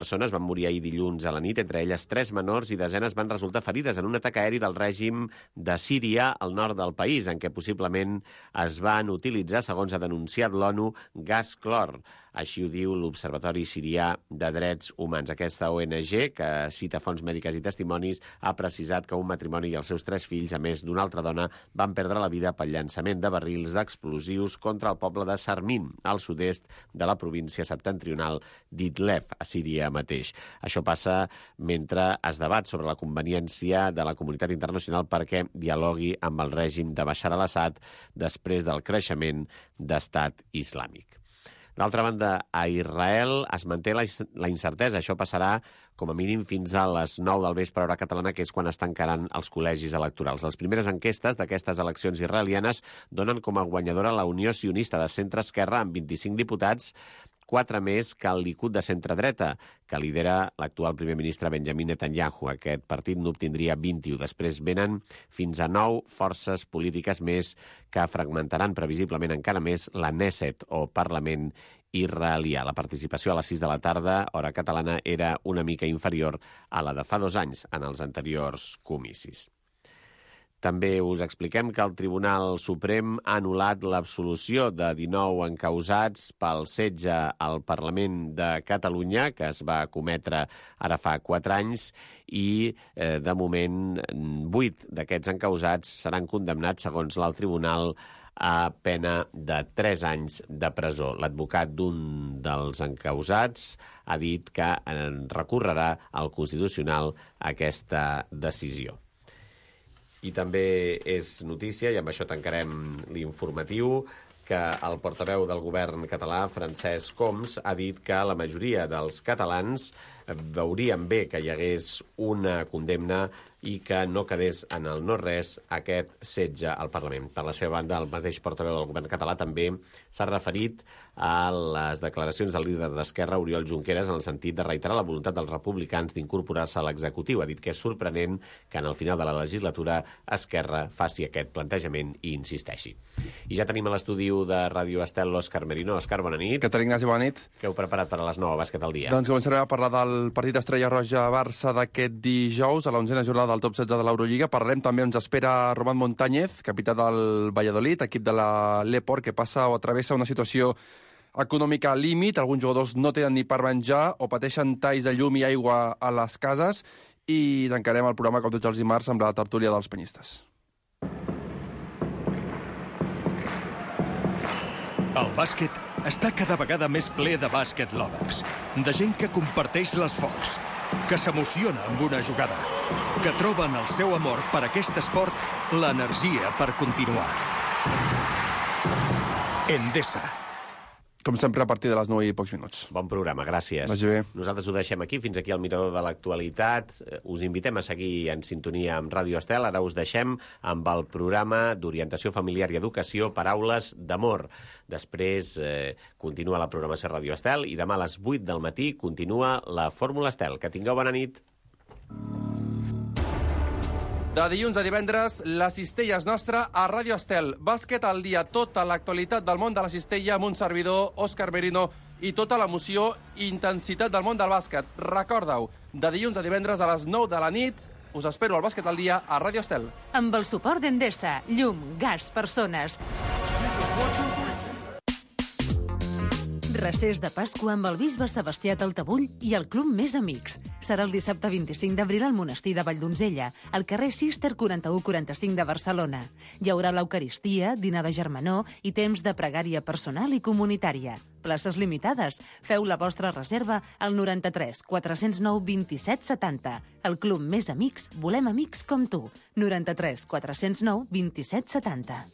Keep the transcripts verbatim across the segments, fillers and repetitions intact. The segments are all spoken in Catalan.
persones van morir ahir dilluns a la nit, entre elles tres menors, i desenes van resultar ferides en un atac aeri del règim de Síria al nord del país, en què possiblement es van utilitzar, segons ha denunciat l'ONU, gas clor. Així ho diu l'Observatori Sirià de Drets Humans. Aquesta O N G, que cita fonts mèdiques i testimonis, ha precisat que un matrimoni i els seus tres fills, a més d'una altra dona, van perdre la vida pel llançament de barrils d'explosius contra el poble de Sarmin, al sud-est de la província septentrional d'Idlef, a Síria mateix. Això passa mentre es debat sobre la conveniència de la comunitat internacional perquè dialogui amb el règim de Bashar al-Assad després del creixement d'estat islàmic. D'altra banda, a Israel es manté la, la incertesa. Això passarà com a mínim fins a les nou del vespre hora catalana, que és quan es tancaran els col·legis electorals. Les primeres enquestes d'aquestes eleccions israelianes donen com a guanyadora la Unió Sionista de centre-esquerra amb vint-i-cinc diputats, quatre més que el Likud de centre-dreta, que lidera l'actual primer ministre Benjamin Netanyahu. Aquest partit n'obtindria vint-i-u. Després venen fins a nou forces polítiques més que fragmentaran previsiblement encara més la Knesset, o Parlament israelià. La participació a les sis de la tarda, hora catalana, era una mica inferior a la de fa dos anys en els anteriors comicis. També us expliquem que el Tribunal Suprem ha anul·lat l'absolució de dinou encausats pel setge al Parlament de Catalunya, que es va cometre ara fa quatre anys, i eh, de moment vuit d'aquests encausats seran condemnats, segons l'alt tribunal, a pena de tres anys de presó. L'advocat d'un dels encausats ha dit que recorrerà al Constitucional aquesta decisió. I també és notícia, i amb això tancarem l'informatiu, que el portaveu del govern català, Francesc Homs, ha dit que la majoria dels catalans veurien bé que hi hagués una condemna i que no quedés en el no-res aquest setge al Parlament. Per la seva banda, el mateix portaveu del govern català també s'ha referit a les declaracions del líder d'Esquerra, Oriol Junqueras, en el sentit de reiterar la voluntat dels republicans d'incorporar-se a l'executiu. Ha dit que és sorprenent que en el final de la legislatura Esquerra faci aquest plantejament i insisteixi. I ja tenim a l'estudi de Ràdio Estel l'Òscar Merino. Òscar, bona nit. Què tal, Ignasi? Bona nit. Què heu preparat per a les nou a Bàsquet al dia? Doncs començarem a parlar del partit Estrella Roja-Barça d'aquest dijous, a l'onzena jornada del top setze de l'Eurolliga. Parlarem també, ens espera Román Montañez, capità del Valladolid, equip de la l'Eport, que passa o travessa una situació econòmica límit. Alguns jugadors no tenen ni per menjar o pateixen talls de llum i aigua a les cases. I tancarem el programa, com tots els dimarts, amb la tertúlia dels penyistes. El bàsquet està cada vegada més ple de bàsquet lovers, de gent que comparteix l'esforç, que s'emociona amb una jugada, que troben el seu amor per aquest esport l'energia per continuar. Endesa. Com sempre, a partir de les nou i pocs minuts. Bon programa, gràcies. Vagi bé. Nosaltres ho deixem aquí, fins aquí el Mirador de l'Actualitat. Us invitem a seguir en sintonia amb Ràdio Estel. Ara us deixem amb el programa d'orientació familiar i educació Paraules d'amor. Després eh, continua la programació Ràdio Estel i demà a les vuit del matí continua la Fórmula Estel. Que tingueu bona nit. De dilluns a divendres, la cistella és nostra a Ràdio Estel. Bàsquet al dia, tota l'actualitat del món de la cistella amb un servidor, Òscar Merino, i tota l'emoció i intensitat del món del bàsquet. Recorda-ho, de dilluns a divendres a les nou de la nit, us espero al Bàsquet al dia a Ràdio Estel. Amb el suport d'Endesa, llum, gas, persones. Recés de Pasqua amb el bisbe Sebastià Taltabull i el Club Més Amics. Serà el dissabte vint-i-cinc d'abril al monestir de Valldonzella, al carrer Cister quaranta-u quaranta-cinc de Barcelona. Hi haurà l'Eucaristia, dinar de germanor i temps de pregària personal i comunitària. Places limitades. Feu la vostra reserva al noranta-tres quatre-cents nou vint-i-set setanta. El Club Més Amics, volem amics com tu. noranta-tres quatre-cents nou vint-i-set setanta.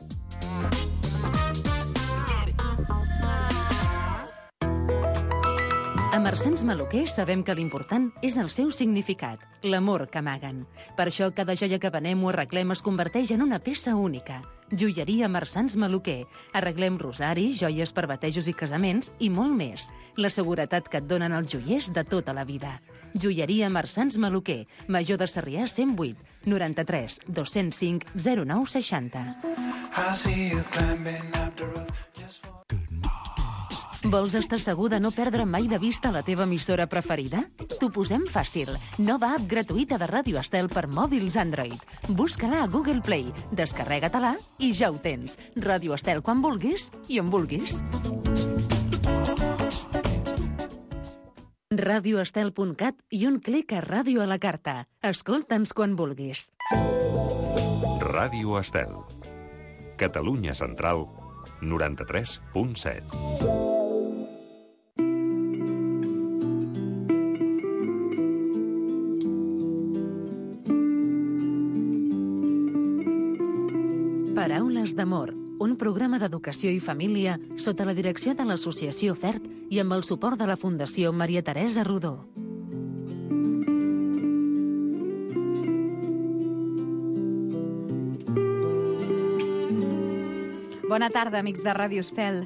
A Marsans Maluquer sabem que l'important és el seu significat, l'amor que amaguen. Per això cada joia que venem o arreglem es converteix en una peça única. Joieria Marsans Maluquer. Arreglem rosaris, joies per batejos i casaments i molt més. La seguretat que et donen els joiers de tota la vida. Joieria Marsans Maluquer. Major de Sarrià cent vuit, noranta-tres dos-cents cinc zero nou seixanta. Vols estar segur de no perdre mai de vista la teva emissora preferida? T'ho posem fàcil. Nova app gratuïta de Ràdio Estel per mòbils Android. Busca-la a Google Play, descarrega-te-la i ja ho tens. Ràdio Estel quan vulguis i on vulguis. radioestel punt cat i un clic a Ràdio a la carta. Escolta'ns quan vulguis. Ràdio Estel. Catalunya Central, noranta-tres punt set. Paraules d'amor, un programa d'educació i família sota la direcció de l'Associació FERT i amb el suport de la Fundació Maria Teresa Rodó. Bona tarda, amics de Ràdio Estel.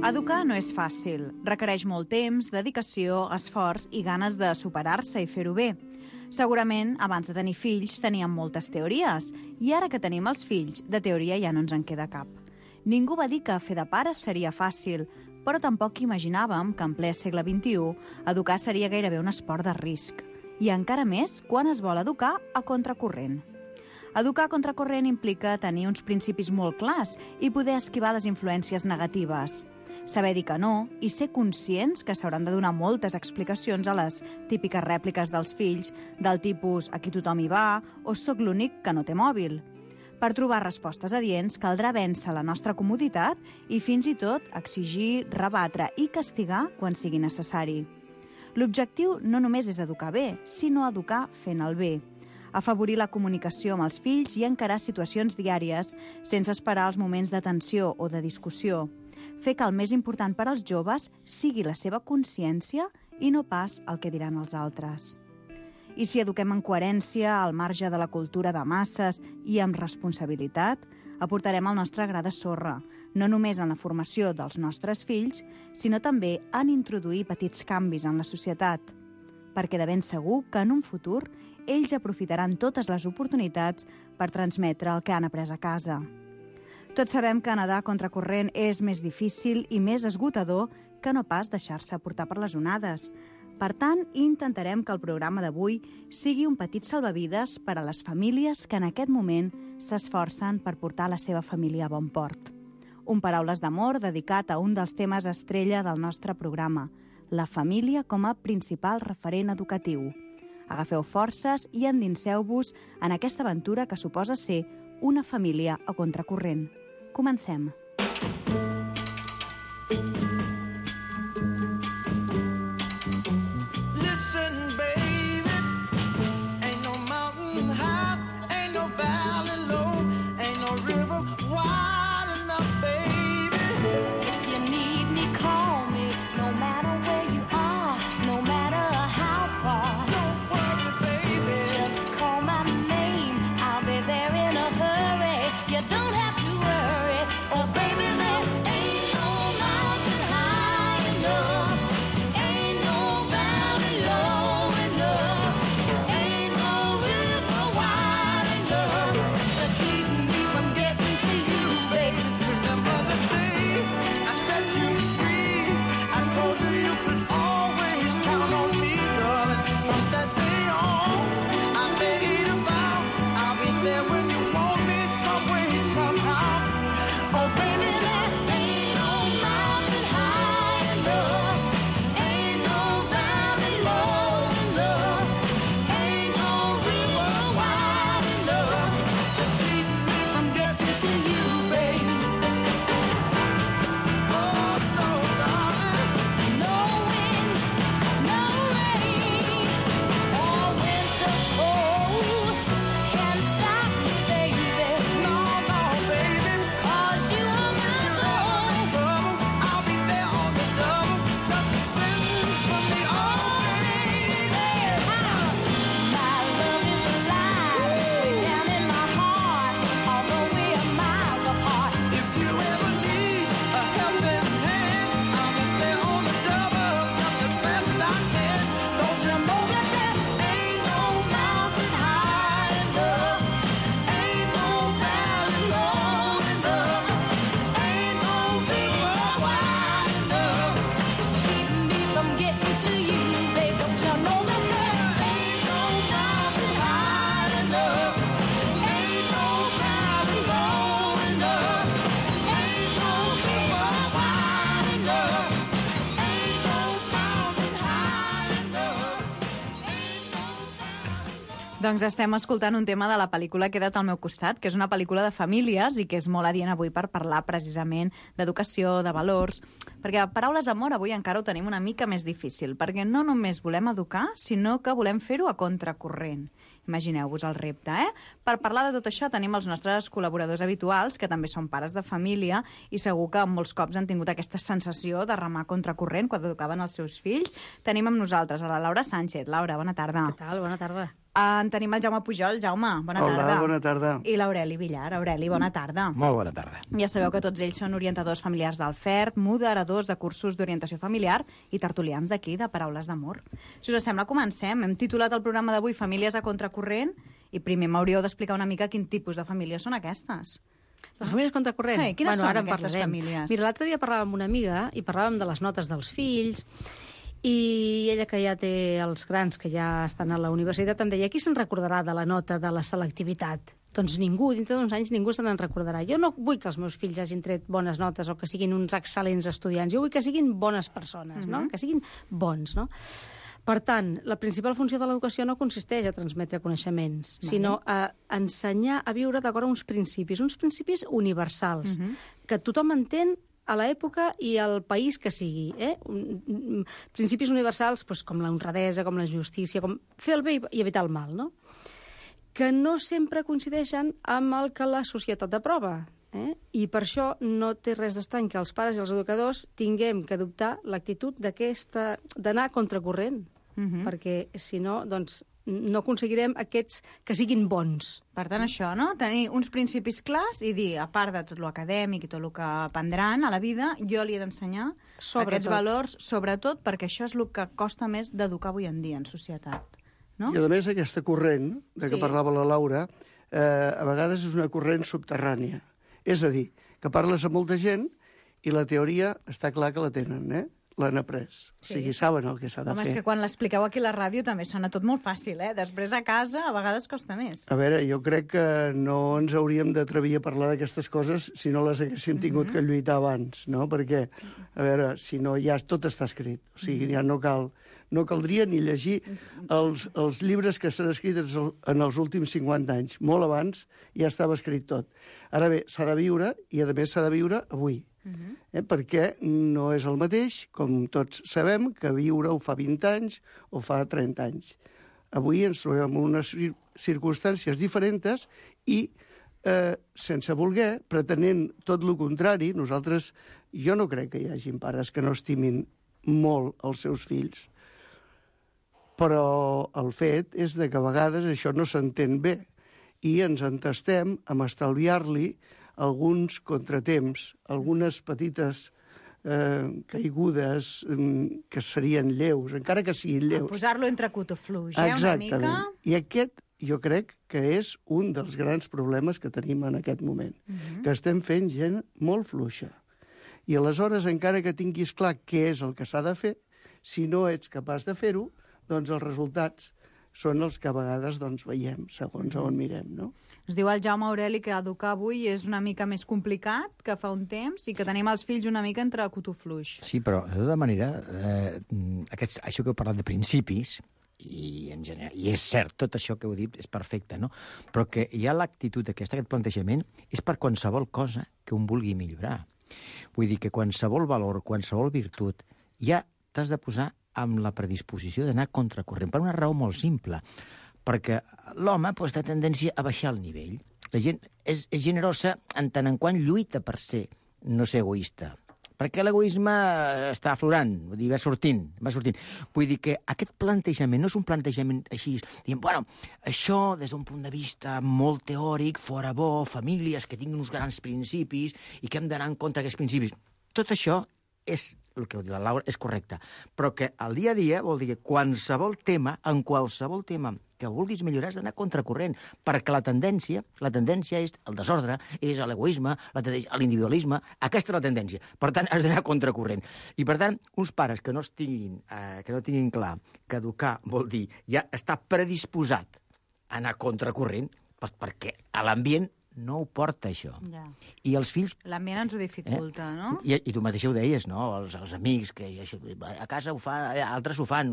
Educar no és fàcil. Requereix molt temps, dedicació, esforç i ganes de superar-se i fer-ho bé. Segurament, abans de tenir fills, teníem moltes teories, i ara que tenim els fills, de teoria ja no ens en queda cap. Ningú va dir que fer de pares seria fàcil, però tampoc imaginàvem que en ple segle vint-i-u educar seria gairebé un esport de risc. I encara més quan es vol educar a contracorrent. Educar a contracorrent implica tenir uns principis molt clars i poder esquivar les influències negatives. Saber dir que no i ser conscients que s'hauran de donar moltes explicacions a les típiques rèpliques dels fills del tipus aquí tothom hi va o soc l'únic que no té mòbil. Per trobar respostes adients caldrà vèncer la nostra comoditat i fins i tot exigir, rebatre i castigar quan sigui necessari. L'objectiu no només és educar bé, sinó educar fent el bé. Afavorir la comunicació amb els fills i encarar situacions diàries sense esperar els moments de tensió o de discussió. Fer que el més important per als joves sigui la seva consciència i no pas el que diran els altres. I si eduquem en coherència, al marge de la cultura de masses i amb responsabilitat, aportarem el nostre gra de sorra, no només en la formació dels nostres fills, sinó també en introduir petits canvis en la societat, perquè de ben segur que en un futur ells aprofitaran totes les oportunitats per transmetre el que han après a casa. Tots sabem que nedar contracorrent és més difícil i més esgotador que no pas deixar-se portar per les onades. Per tant, intentarem que el programa d'avui sigui un petit salvavides per a les famílies que en aquest moment s'esforcen per portar la seva família a bon port. Un Paraules d'amor dedicat a un dels temes estrella del nostre programa, la família com a principal referent educatiu. Agafeu forces i endinseu-vos en aquesta aventura que suposa ser una família a contracorrent. Comencem. Don't have to worry. Doncs estem escoltant un tema de la pel·lícula Queda't al meu costat, que és una pel·lícula de famílies i que és molt adient avui per parlar precisament d'educació, de valors, perquè paraules d'amor avui encara ho tenim una mica més difícil, perquè no només volem educar, sinó que volem fer-ho a contracorrent. Imagineu-vos el repte, eh? Per parlar de tot això tenim els nostres col·laboradors habituals, que també són pares de família, i segur que molts cops han tingut aquesta sensació de remar contracorrent quan educaven els seus fills. Tenim amb nosaltres a la Laura Sánchez. Laura, bona tarda. Què tal? Bona tarda. En tenim el Jaume Pujol. Jaume, bona Hola, tarda. bona tarda. I l'Aureli Villar. Aureli, bona tarda. Molt bona tarda. Ja sabeu que tots ells són orientadors familiars del F E R P, moderadors de cursos d'orientació familiar i tertulians d'aquí, de Paraules d'Amor. Si us sembla, comencem. Hem titulat el programa d'avui Famílies a contracorrent i primer m'hauríeu d'explicar una mica quin tipus de famílies són aquestes. Les famílies contracorrent? Ei, quines bueno, són ara en aquestes parlarem. famílies? Mira, l'altre dia parlàvem amb una amiga i parlàvem de les notes dels fills i ella, que ja té els grans que ja estan a la universitat, em deia: qui se'n recordarà de la nota de la selectivitat? Doncs ningú, dintre d'uns anys ningú se n'en recordarà. Jo no vull que els meus fills hagin tret bones notes o que siguin uns excel·lents estudiants. Jo vull que siguin bones persones, no? Mhm. Que siguin bons, no? Per tant, la principal funció de l'educació no consisteix a transmetre coneixements, Vale. sinó a ensenyar a viure d'acord amb uns principis, uns principis universals, Mhm. que tothom entén a l'època i al país que sigui. Eh? Un- un- Principis universals doncs, com la honradesa, com la justícia, com fer el bé i evitar el mal, no? Que no sempre coincideixen amb el que la societat aprova. Eh? I per això no té res d'estrany que els pares i els educadors tinguem que adoptar l'actitud d'aquesta d'anar contracorrent, Mhm. perquè si no, doncs, no aconseguirem aquests que siguin bons. Per tant, això, no? Tenir uns principis clars i dir, a part de tot l'acadèmic i tot el que aprendran a la vida, jo li he d'ensenyar Sobretot. aquests valors, sobretot perquè això és el que costa més d'educar avui en dia en societat. No? I a més aquesta corrent de què Sí. parlava la Laura, eh, a vegades és una corrent subterrània. És a dir, que parles amb molta gent i la teoria està clar que la tenen, eh? L'han après. Sí. O sigui, saben el que s'ha de Home, fer. és que quan l'expliqueu aquí a la ràdio també sona tot molt fàcil, eh? Després a casa a vegades costa més. A veure, jo crec que no ens hauríem d'atrevir a parlar d'aquestes coses si no les haguéssim tingut Mhm. que lluitar abans, no? Perquè, a veure, si no, ja tot està escrit. O sigui, Mhm. ja no cal... No caldria ni llegir els, els llibres que s'han escrit en els últims cinquanta anys. Molt abans ja estava escrit tot. Ara bé, s'ha de viure, i a més s'ha de viure avui. Mhm. Eh? Perquè no és el mateix, com tots sabem, que viure ho fa vint anys o fa trenta anys. Avui ens trobem en unes cir- circumstàncies diferents i, eh, sense voler, pretenent tot el contrari, nosaltres, jo no crec que hi hagin pares que no estimin molt els seus fills, però el fet és de que a vegades això no s'entén bé i ens entestem amb estalviar-li alguns contratemps, algunes petites eh, caigudes mm, que serien lleus, encara que siguin A lleus. posar-lo entre cotofluix, eh? Una Exactament. mica... I aquest jo crec que és un dels grans problemes que tenim en aquest moment, Mhm. que estem fent gent molt fluixa. I aleshores, encara que tinguis clar què és el que s'ha de fer, si no ets capaç de fer-ho, doncs els resultats són els que a vegades doncs, veiem, segons on mirem, no? Ens diu el Jaume Aureli que educar avui és una mica més complicat que fa un temps i que tenim els fills una mica entre cotofluix. Sí, però de tota manera, eh, aquests, això que heu parlat de principis, i, en general, i és cert, tot això que heu dit és perfecte, no? Però que hi ha l'actitud aquesta, aquest plantejament, és per qualsevol cosa que un vulgui millorar. Vull dir que qualsevol valor, qualsevol virtut, ja t'has de posar amb la predisposició d'anar contracorrent, per una raó molt simple, perquè l'home pues, té tendència a baixar el nivell. La gent és, és generosa en tant en quant lluita per ser, no ser egoista. Perquè l'egoisme està aflorant, vull dir, va sortint, va sortint. Vull dir que aquest plantejament no és un plantejament així, dient, bueno, això des d'un punt de vista molt teòric, fora bo, famílies que tinguin uns grans principis i que hem d'anar en contra d'aquests principis. Tot això és, el que ho diu la Laura, és correcte. Però que al dia a dia vol dir que qualsevol tema, en qualsevol tema que vulguis millorar has d'anar contracorrent, perquè la tendència, la tendència és el desordre, és l'egoisme, la tendència, l'individualisme, aquesta és la tendència. Per tant, has d'anar contracorrent. I per tant, uns pares que no tinguin, eh, que no tinguin clar que educar vol dir ja estar predisposat a anar contracorrent, doncs perquè a l'ambient no ho porta, això. Ja. I els fills... L'ambient ens ho dificulta, eh? no? I, I tu mateix ho deies, no? Els, els amics, que a casa ho fan, altres ho fan.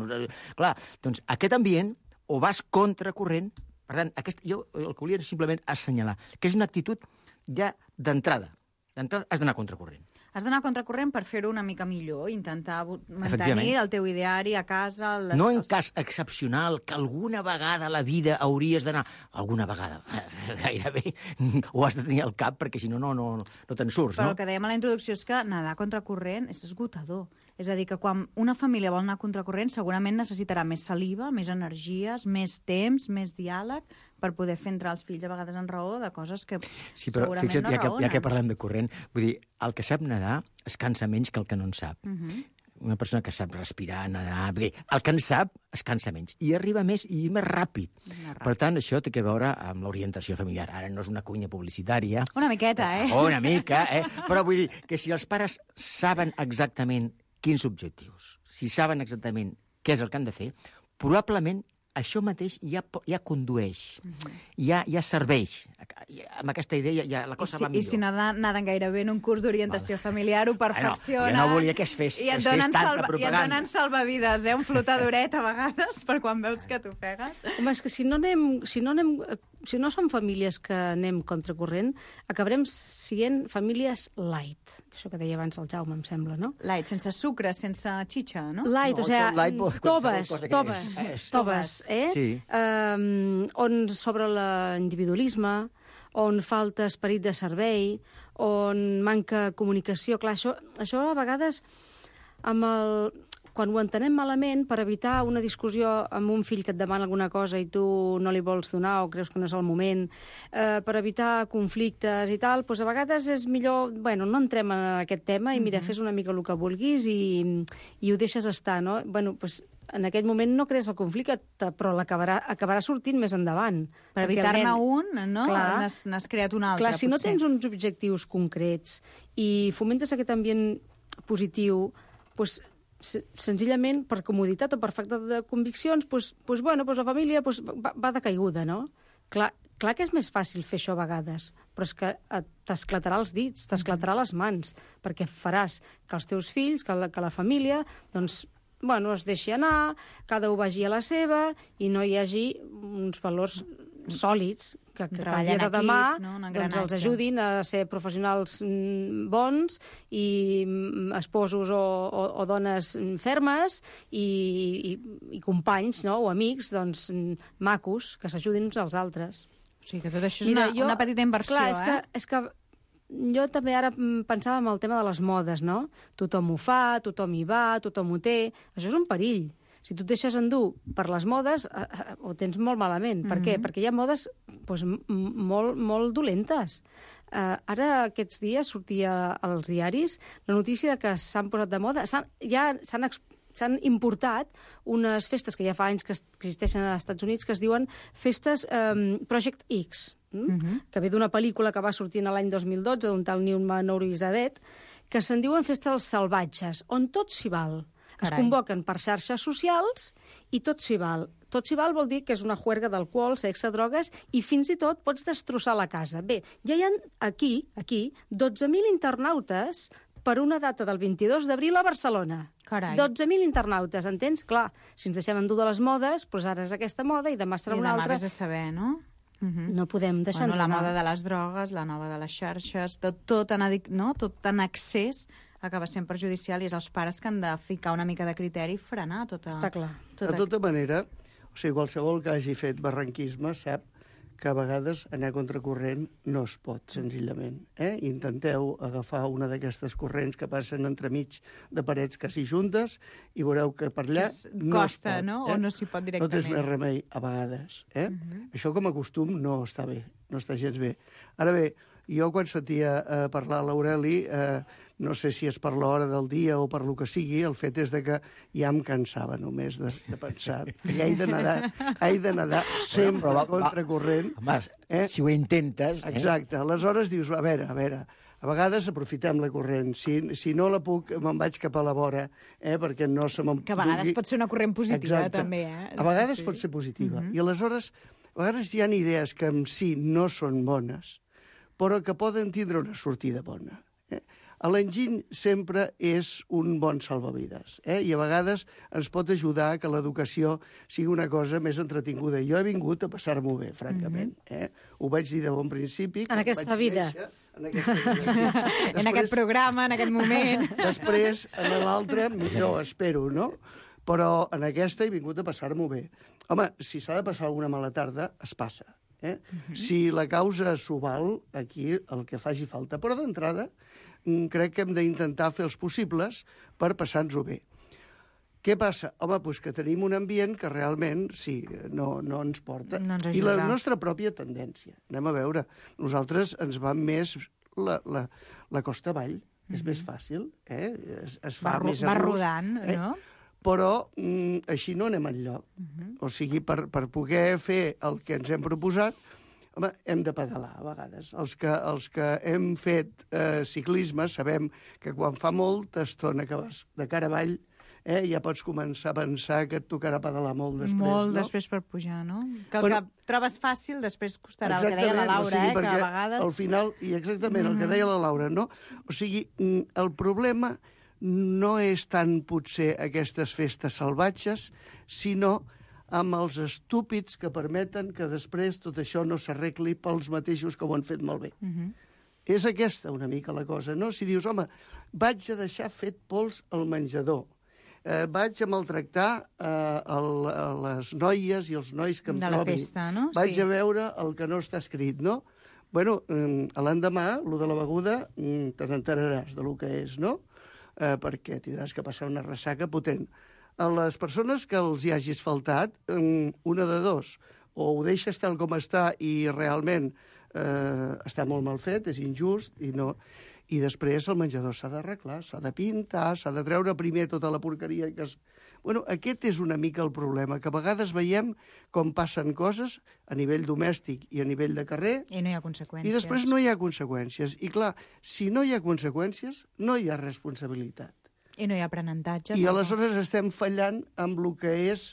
Clar, doncs aquest ambient o vas contracorrent Per tant, aquest, jo el que volia simplement assenyalar, que és una actitud ja d'entrada. D'entrada has d'anar a contracorrent. Has d'anar a contracorrent per fer-ho una mica millor, intentar mantenir el teu ideari a casa... Les... No en cas excepcional, que alguna vegada a la vida hauries d'anar... Alguna vegada, gairebé, ho has de tenir al cap, perquè si no, no, no, no te'n surts, Però no? el que dèiem a la introducció és que nedar a contracorrent és esgotador. És a dir, que quan una família vol anar a contracorrent segurament necessitarà més saliva, més energies, més temps, més diàleg, per poder fer entrar els fills a vegades en raó de coses que Sí, però segurament fixa't, no ja que, raonen. ja que parlem de corrent, vull dir, el que sap nedar es cansa menys que el que no en sap. Uh -huh. Una persona que sap respirar, nedar... Vull dir, el que en sap es cansa menys. I arriba més i més ràpid. Més ràpid. Per tant, això té a veure amb l'orientació familiar. Ara no és una cunya publicitària. Una miqueta, eh? Una mica, eh? Però vull dir que si els pares saben exactament quins objectius, si saben exactament què és el que han de fer, probablement això mateix ja, ja condueix, uh -huh. ja, ja serveix. Amb aquesta idea ja, ja la cosa I si, va millor. I si naden, naden gairebé en un curs d'orientació vale. familiar, ho perfeccionen. Ah, no, jo no volia que es fes, I et es donen, fes tanta salva, propaganda. I et donen salvavides, eh? Un flotadoret a vegades, per quan veus que t'ofegues. Home, és que si no anem... Si no anem si no som famílies que anem contracorrent, acabarem sent famílies light. Això que deia abans el Jaume, em sembla, no? Light, sense sucre, sense xitxa, no? Light, No, o sigui, light, qualsevol toves, cosa que toves, és. toves, eh? Sí. Um, on sobre l'individualisme, on falta esperit de servei, on manca comunicació. Clar, això, això a vegades amb el... quan ho entenem malament, per evitar una discussió amb un fill que et demana alguna cosa i tu no li vols donar o creus que no és el moment, eh, per evitar conflictes i tal, doncs a vegades és millor... Bueno, no entrem en aquest tema i mira, fes una mica el que vulguis i, i ho deixes estar, no? Bueno, doncs en aquell moment no crees el conflicte, però l'acabarà acabarà sortint més endavant. Per evitar-ne un, no? N'has creat un altre, clar, si potser. no tens uns objectius concrets i fomentes aquest ambient positiu, doncs senzillament per comoditat o per falta de conviccions, doncs, doncs, bueno, doncs la família doncs, va, va de caiguda, no? Clar, clar que és més fàcil fer això a vegades, però és que t'esclatarà els dits, t'esclatarà les mans, perquè faràs que els teus fills, que la, que la família, doncs, bueno, es deixi anar, cada un vagi a la seva i no hi hagi uns valors sòlids que, que el dia de demà equip, no? doncs els ajudin a ser professionals bons i esposos o, o, o dones fermes i, i, i companys, no? O amics doncs, macos que s'ajudin uns als altres. O sigui que tot això és Mira, una, jo, una petita inversió, clar, és eh? Que, és que jo també ara pensava en el tema de les modes, no? Tothom ho fa, tothom hi va, tothom ho té. Això és un perill. Si tu et deixes endur per les modes, eh, eh, ho tens molt malament. Per mm -hmm. què? Perquè hi ha modes doncs, molt, molt dolentes. Eh, ara, aquests dies, sortia als diaris la notícia que s'han posat de moda. S'han, ja s'han s'han importat unes festes que ja fa anys que existeixen als Estats Units que es diuen festes eh, Project X, mm? mm -hmm. que ve d'una pel·lícula que va sortir l'any dos mil dotze d'un tal Newman Ourizadet, que se'n diuen festes salvatges, on tot s'hi val. Es Carai. convoquen per xarxes socials i tot s'hi val. Tot s'hi val vol dir que és una juerga d'alcohol, sexe, drogues i fins i tot pots destrossar la casa. Bé, ja hi ha aquí, aquí, dotze mil internautes per una data del vint-i-dos d'abril a Barcelona. Carai. dotze mil internautes, entens? Clar, si ens deixem endur de les modes, doncs ara és aquesta moda i demà serà I una demà altra. vés a saber, no? Uh -huh. No podem deixar-nos bueno, la anar. moda de les drogues, la nova de les xarxes, tot, tot, en, adic... no? tot en excés acaba sent perjudicial i és els pares que han de ficar una mica de criteri i frenar tota... Està clar. De tota manera, o sigui, qualsevol que hagi fet barranquisme sap que a vegades anar a contracorrent no es pot, senzillament. Eh? Intenteu agafar una d'aquestes corrents que passen entremig de parets quasi juntes i veureu que per allà no costa, es pot, no? Eh? O no s'hi pot directament. No tens més remei, a vegades. Eh? Uh -huh. Això com a costum no està bé, no està gens bé. Ara bé, jo quan sentia eh, parlar l'Aureli, eh, no sé si és per l'hora del dia o per lo que sigui, el fet és de que ja em cansava només de, de pensar que he de nedar, he de nedar sempre a contracorrent. Home, eh? si ho intentes... Eh? Exacte. Aleshores dius, a veure, a veure, a vegades aprofitem la corrent. Si, si no la puc, me'n vaig cap a la vora, eh, perquè no se me'n Que a vegades dugui. pot ser una corrent positiva, Exacte. també, eh? A vegades sí, sí. pot ser positiva. Uh-huh. I aleshores, a vegades hi ha idees que en si no són bones, però que poden tindre una sortida bona. Eh? l'enginy sempre és un bon salvavides, eh? I a vegades ens pot ajudar que l'educació sigui una cosa més entretinguda. Jo he vingut a passar-m'ho bé, francament. Eh? Ho vaig dir de bon principi. En aquesta vida. Néixer, en aquesta vida, sí. Després, en aquest programa, en aquest moment. Després, en l'altre, millor, espero, no? Però en aquesta he vingut a passar-m'ho bé. Home, si s'ha de passar alguna mala tarda, es passa. Eh? Uh-huh. Si la causa s'ho val, aquí el que faci falta. Però d'entrada, crec que hem d'intentar fer els possibles per passar-nos-ho bé. Què passa? Home, doncs que tenim un ambient que realment, sí, no, no ens porta. No ens I la nostra pròpia tendència. Anem a veure. Nosaltres ens va més la, la, la costa avall. Mm-hmm. És més fàcil, eh? Es, es fa va, més va a gust, rodant, eh? no? Però mm, així no anem enlloc. Uh-huh. O sigui, per, per poder fer el que ens hem proposat, home, hem de pedalar a vegades. Els que, els que hem fet eh, ciclisme sabem que quan fa molta estona que vas de cara avall, eh, ja pots començar a pensar que et tocarà pedalar molt després. Molt no? després per pujar, no? Que el Però, que trobes fàcil després costarà, el que deia la Laura, o sigui, eh, que a vegades... al final, i exactament mm. el que deia la Laura, no? O sigui, el problema no és tant potser aquestes festes salvatges, sinó amb els estúpids que permeten que després tot això no s'arregli pels mateixos que ho han fet malbé. Uh-huh. És aquesta una mica la cosa, no? Si dius, home, vaig a deixar fet pols al menjador, eh, vaig a maltractar eh, el, les noies i els nois que em de trobi, la festa, no? vaig sí. a veure el que no està escrit, no? Bueno, eh, l'endemà, lo de la beguda, eh, te n'enteraràs de lo que és, no? Eh, perquè tindràs que passar una ressaca potent. A les persones que els hi hagis faltat, eh, una de dos, o ho deixes tal com està i realment eh, està molt mal fet, és injust, i no... I després el menjador s'ha d'arreglar, s'ha de pintar, s'ha de treure primer tota la porqueria que es... Bueno, aquest és una mica el problema, que a vegades veiem com passen coses a nivell domèstic i a nivell de carrer... I no hi ha conseqüències. I després no hi ha conseqüències. I clar, si no hi ha conseqüències, no hi ha responsabilitat. I no hi ha aprenentatge. I tampoc. aleshores estem fallant amb el que és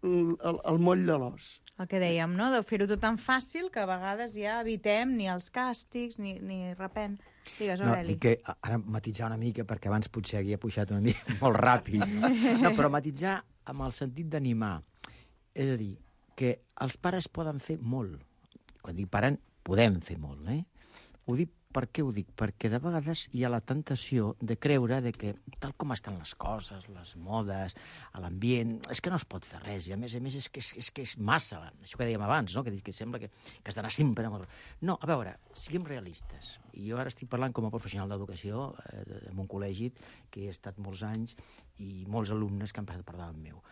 el, el moll de l'os. El que dèiem, no?, de fer-ho tot tan fàcil que a vegades ja evitem ni els càstigs ni, ni repent. Digues, Aureli. No, que ara matitzar una mica, perquè abans potser havia pujat una mica molt ràpid. No, no però matitzar amb el sentit d'animar. És a dir, que els pares poden fer molt. Quan dic paren, podem fer molt, eh? Ho dic, per què ho dic? Perquè de vegades hi ha la tentació de creure de que, tal com estan les coses, les modes, l'ambient, és que no es pot fer res, i a més a més és que és, és, que és massa, això que dèiem abans, no? que, que sembla que, que has d'anar sempre... No, a veure, siguem realistes. I jo ara estic parlant com a professional d'educació eh, en un col·legi que he estat molts anys i molts alumnes que han passat per davant meu.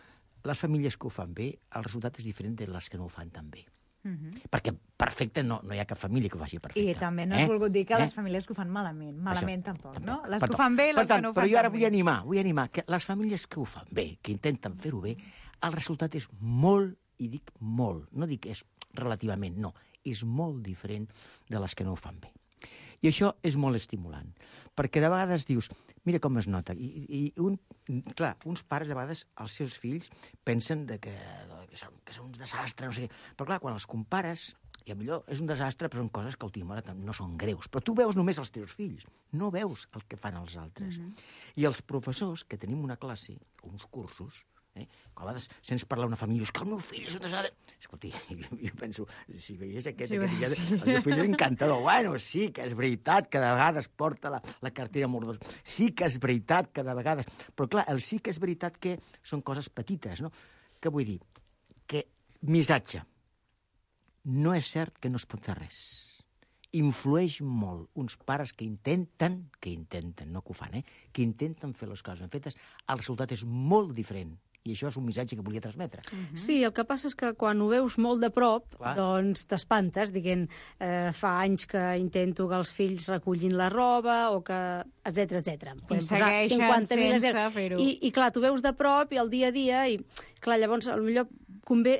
Les famílies que ho fan bé, el resultat és diferent de les que no ho fan tan bé. Uh-huh. Perquè perfecte no, no hi ha cap família que ho faci perfecte. I també no has eh? volgut dir que eh? les famílies que ho fan malament. Malament Això, tampoc, tampoc, no? Les per que ho fan bé i les tant, que no ho però fan jo ara tan vull bé. animar, vull animar que les famílies que ho fan bé, que intenten fer-ho bé, el resultat és molt, i dic molt, no dic és relativament, no, és molt diferent de les que no ho fan bé. I això és molt estimulant, perquè de vegades dius, mira com es nota, i, i un, clar, uns pares de vegades, els seus fills, pensen de que, que, són, que són un desastre, no sé què, però clar, quan els compares, i millor és un desastre, però són coses que a última hora no són greus. Però tu veus només els teus fills, no veus el que fan els altres. Uh-huh. I els professors, que tenim una classe, uns cursos, eh, que a vegades sents parlar una família, és que el meu fill és un desastre... Escolti, jo, jo penso, si veiés aquest, sí, aquest ja, sí. El seu fill és encantador. Bueno, sí que és veritat que de vegades porta la, la cartera mordosa. Sí que és veritat que de vegades... Però clar, el sí que és veritat que són coses petites, no? Què vull dir? Que missatge. No és cert que no es pot fer res. Influeix molt uns pares que intenten, que intenten, no que ho fan, eh? que intenten fer les coses ben fetes, el resultat és molt diferent. I això és un missatge que volia transmetre. Uh-huh. Sí, el que passa és que quan ho veus molt de prop, clar, doncs t'espantes, dient, eh, fa anys que intento que els fills recullin la roba, o que... etcètera, etcètera. I segueixen sense fer-ho. I, I clar, tu veus de prop i el dia a dia, i clar, llavors potser convé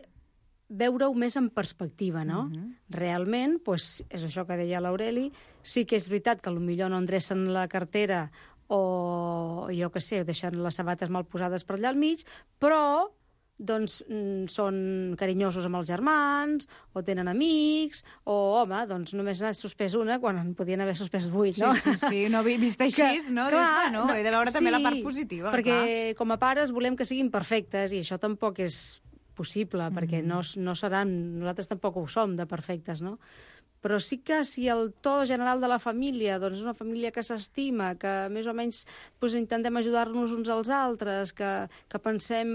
veure-ho més en perspectiva, no? Uh-huh. Realment, doncs, és això que deia l'Aureli, sí que és veritat que potser no endrecen la cartera o, jo què sé, deixen les sabates mal posades per allà al mig, però doncs mm, són carinyosos amb els germans, o tenen amics, o, home, doncs només n'ha suspès una quan en podien haver suspès vuit, no? Sí, sí, sí, no vist així, que, no? Clar, Dius, bueno, no, he de veure sí, també la part positiva. Perquè clar. Com a pares volem que siguin perfectes, i això tampoc és possible, mm. perquè no, no seran, nosaltres tampoc ho som de perfectes, no? Però sí que si el to general de la família doncs és una família que s'estima, que més o menys doncs, intentem ajudar-nos uns als altres, que, que pensem,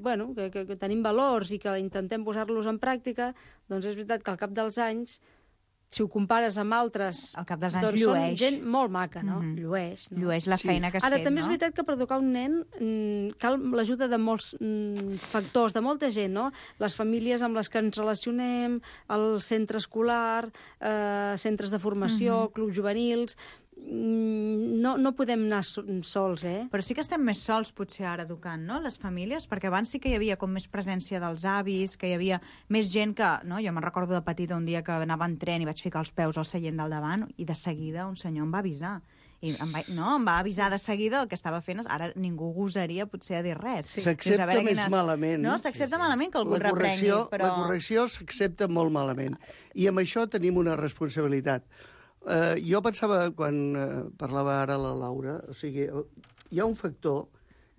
bueno, que, que, que tenim valors i que intentem posar-los en pràctica, doncs és veritat que al cap dels anys, si ho compares amb altres, al cap dels anys doncs llueix. Són gent molt maca, no? Mm-hmm. Llueix. No? Llueix la feina sí. que has Ara, fet, també no? és veritat que per educar un nen mmm, cal l'ajuda de molts mmm, factors, de molta gent, no? Les famílies amb les que ens relacionem, el centre escolar, eh, centres de formació, mm-hmm. clubs juvenils... No, no podem anar sols, eh? Però sí que estem més sols, potser, ara, educant, no?, les famílies, perquè abans sí que hi havia com més presència dels avis, que hi havia més gent que... No? Jo me'n recordo de petita un dia que anava en tren i vaig ficar els peus al seient del davant i de seguida un senyor em va avisar. I em va, no, em va avisar de seguida el que estava fent. Ara ningú gosaria, potser, a dir res. Sí. S'accepta més quines... malament. No, s'accepta sí, sí. malament que algú la reprengui, però... La correcció s'accepta molt malament. I amb això tenim una responsabilitat. Uh, jo pensava, quan uh, parlava ara la Laura, o sigui, hi ha un factor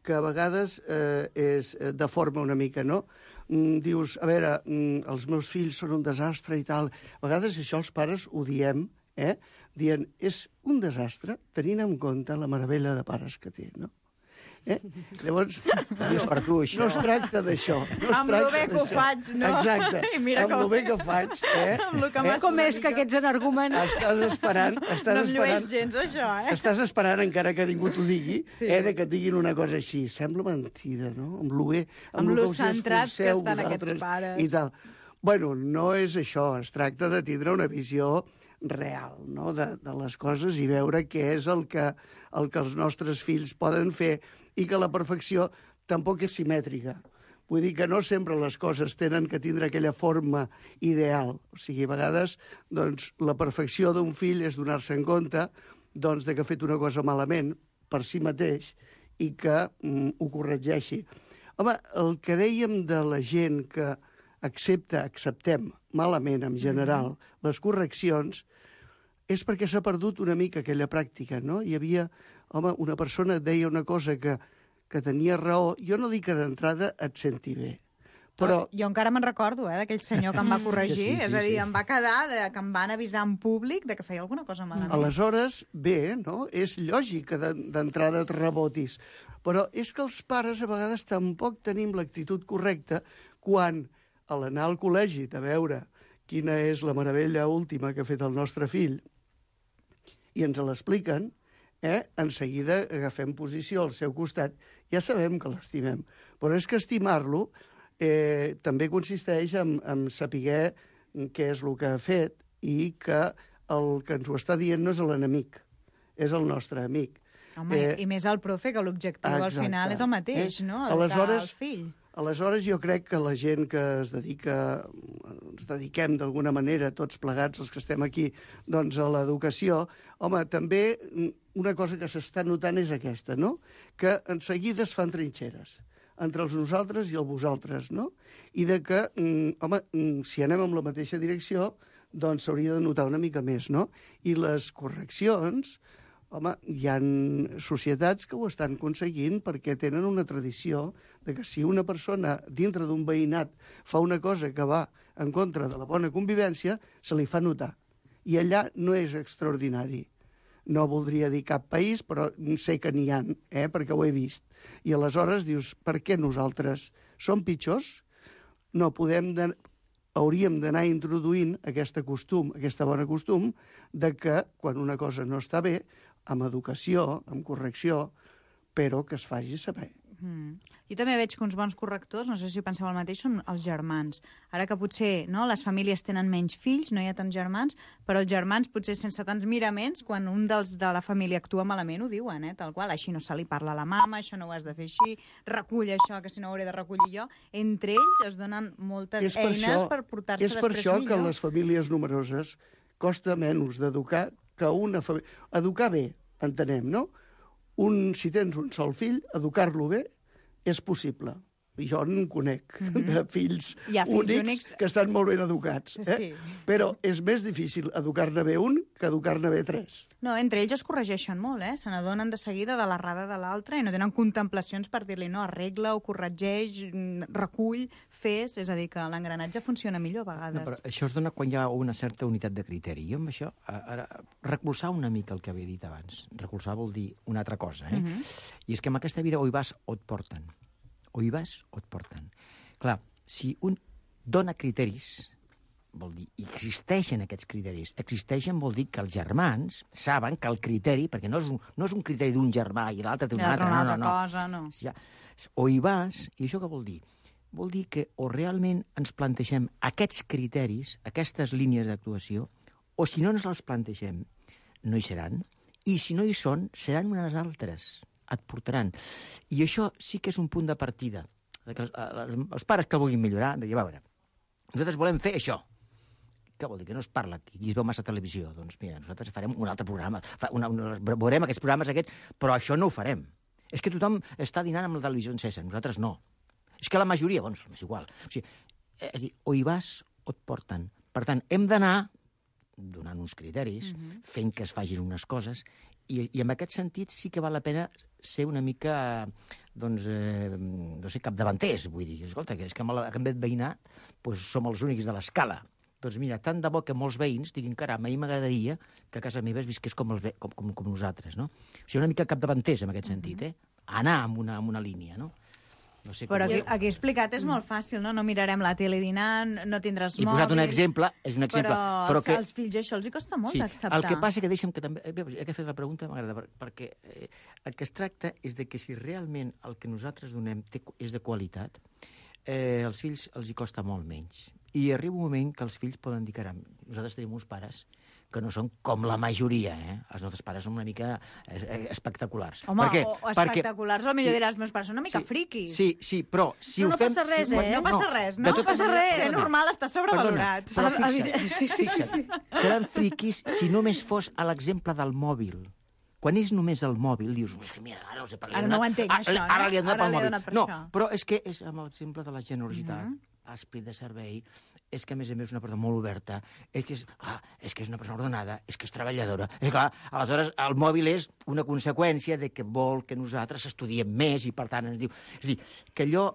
que a vegades uh, és, uh, deforma una mica, no? Mm, dius, a veure, mm, els meus fills són un desastre i tal. A vegades això els pares ho diem, eh? Dient, és un desastre tenint en compte la meravella de pares que té, no? Eh? Llavors, no, és per tu, això. No es tracta d'això. No amb lo bé que ho faig, no? Exacte. I mira amb com... lo bé que faig, eh? que eh? Com és que aquests energúmens... Estàs esperant... Estàs no em esperant, llueix gens, això, eh? Estàs esperant, encara que ningú t'ho digui, sí. eh, de que et diguin una cosa així. Sembla mentida, no? Amb lo bé... Amb, amb lo centrats que estan aquests pares. I tal. Bueno, no és això. Es tracta de tindre una visió real, no?, de, de les coses i veure què és el que, el que els nostres fills poden fer i que la perfecció tampoc és simètrica. Vull dir que no sempre les coses tenen que tindre aquella forma ideal. O sigui, a vegades doncs, la perfecció d'un fill és donar-se en compte doncs, de que ha fet una cosa malament per si mateix i que mm, ho corregeixi. Home, el que dèiem de la gent que accepta, acceptem malament en general mm-hmm. les correccions, és perquè s'ha perdut una mica aquella pràctica, no? Hi havia, home, una persona deia una cosa que, que tenia raó. Jo no dic que d'entrada et senti bé, però... No, jo encara me'n recordo, eh, d'aquell senyor que em va corregir. Sí, sí, és a dir, sí. em va quedar de, que em van avisar en públic de que feia alguna cosa malament. Aleshores, bé, no? És lògic que d'entrada et rebotis. Però és que els pares a vegades tampoc tenim l'actitud correcta quan, a l'anar al col·legi, de veure quina és la meravella última que ha fet el nostre fill, i ens l'expliquen, eh? En seguida agafem posició al seu costat, ja sabem que l'estimem. Però és que estimar-lo eh, també consisteix en, en saber què és el que ha fet i que el que ens ho està dient no és l'enemic, és el nostre amic. Home, eh, i més el profe, que l'objectiu al final és el mateix, eh? no? Educar Aleshores, el fill. Aleshores, jo crec que la gent que es dedica, ens dediquem d'alguna manera, tots plegats, els que estem aquí, doncs a l'educació, home, també una cosa que s'està notant és aquesta, no? Que en seguida es fan trinxeres entre els nosaltres i el vosaltres, no? I de que, home, si anem en la mateixa direcció, doncs s'hauria de notar una mica més, no? I les correccions... Home, hi ha societats que ho estan aconseguint perquè tenen una tradició de que si una persona dintre d'un veïnat fa una cosa que va en contra de la bona convivència, se li fa notar. I allà no és extraordinari. No voldria dir cap país, però sé que n'hi ha, eh, perquè ho he vist. I aleshores dius, per què nosaltres som pitjors? No podem... De... hauríem d'anar introduint aquest costum, aquesta bona costum, de que quan una cosa no està bé, amb educació, amb correcció, però que es faci saber. Mm. Jo també veig que uns bons correctors, no sé si penseu el mateix, són els germans. Ara que potser no, les famílies tenen menys fills, no hi ha tants germans, però els germans potser sense tants miraments, quan un dels de la família actua malament, ho diuen, eh, tal qual. Així no se li parla a la mama, això no ho has de fer així, recull això, que si no ho hauré de recollir jo. Entre ells es donen moltes és per eines això, per portar-se després millor. És per això millor. que les famílies numeroses costa menys d'educar que una família... Educar bé, entenem, no? Un, si tens un sol fill, educar-lo bé és possible. jo en conec mm-hmm. de fills, fills únics, únics que estan molt ben educats. Eh? Sí. Però és més difícil educar-ne bé un que educar-ne bé tres. No, entre ells es corregeixen molt, eh? Se n'adonen de seguida de l'errada de l'altre i no tenen contemplacions per dir-li no, arregla o corregeix, recull, fes... És a dir, que l'engranatge funciona millor a vegades. No, però això es dona quan hi ha una certa unitat de criteri. Jo amb això, ara, recolzar una mica el que havia dit abans. Recolzar vol dir una altra cosa, eh? Mm-hmm. I és que en aquesta vida o hi vas o et porten. O hi vas o et porten. Clar, si un dona criteris, vol dir, existeixen aquests criteris. Existeixen vol dir que els germans saben que el criteri, perquè no és un, no és un criteri d'un germà i l'altre té un altre, una no, no, no. cosa, no. Ja, o hi vas, i això què vol dir? Vol dir que o realment ens plantegem aquests criteris, aquestes línies d'actuació, o si no ens els plantegem, no hi seran, i si no hi són, seran unes altres. Et portaran. I això sí que és un punt de partida. Que els, els, els pares que vulguin millorar, de dir, a veure, nosaltres volem fer això. Què vol dir? Que no es parla, que aquí es veu massa televisió. Doncs mira, nosaltres farem un altre programa, una, una, veurem aquests programes aquests, però això no ho farem. És que tothom està dinant amb la televisió encesa, nosaltres no. És que la majoria, doncs, és igual. O sigui, és dir, o hi vas o et porten. Per tant, hem d'anar donant uns criteris, mm-hmm. fent que es fagin unes coses, i, i en aquest sentit sí que val la pena ser una mica, doncs, eh, no sé, capdavanters, vull dir. Escolta, que és que amb aquest veïnat doncs, som els únics de l'escala. Doncs mira, tant de bo que molts veïns diguin, caram, a mi m'agradaria que a casa meva es visqués com, els ve com, com, com nosaltres, no? O sigui, una mica capdavanters en aquest sentit, eh? Anar amb una, amb una línia, no? No sé però aquí, aquí explicat és molt fàcil, no? No mirarem la tele dinant, no tindràs mòbil... I posat un exemple, és un exemple... Però, però que... als fills això els hi costa molt sí, d'acceptar. El que passa que deixa'm que també... He que fer la pregunta, m'agrada, perquè eh, el que es tracta és de que si realment el que nosaltres donem té, és de qualitat, eh, als fills els hi costa molt menys. I arriba un moment que els fills poden dir, caram, nosaltres tenim uns pares que no són com la majoria, eh? Els nostres pares són una mica espectaculars. Home, perquè, o, o espectaculars, perquè... o millor diràs, meus pares són una mica sí, friquis. Sí, sí, però si no, ho no fem... Passa res, si, eh? No passa res, no? No passa res, és normal, està sobrevalorat. Perdona, però fixa't, sí, sí, sí, sí. seran friquis si només fos a l'exemple del mòbil. Quan és només el mòbil, dius, mira, ara, els he ara no ho entenc, això, no? Ara li han donat pel mòbil. Per no, això. però és que és amb l'exemple de la generositat, mm -hmm. esprit de servei, és que, a més a més, és una persona molt oberta, és que és, ah, és que és una persona ordenada, és que és treballadora. És clar, aleshores, el mòbil és una conseqüència de que vol que nosaltres estudiem més i, per tant, ens diu... És a dir, que allò,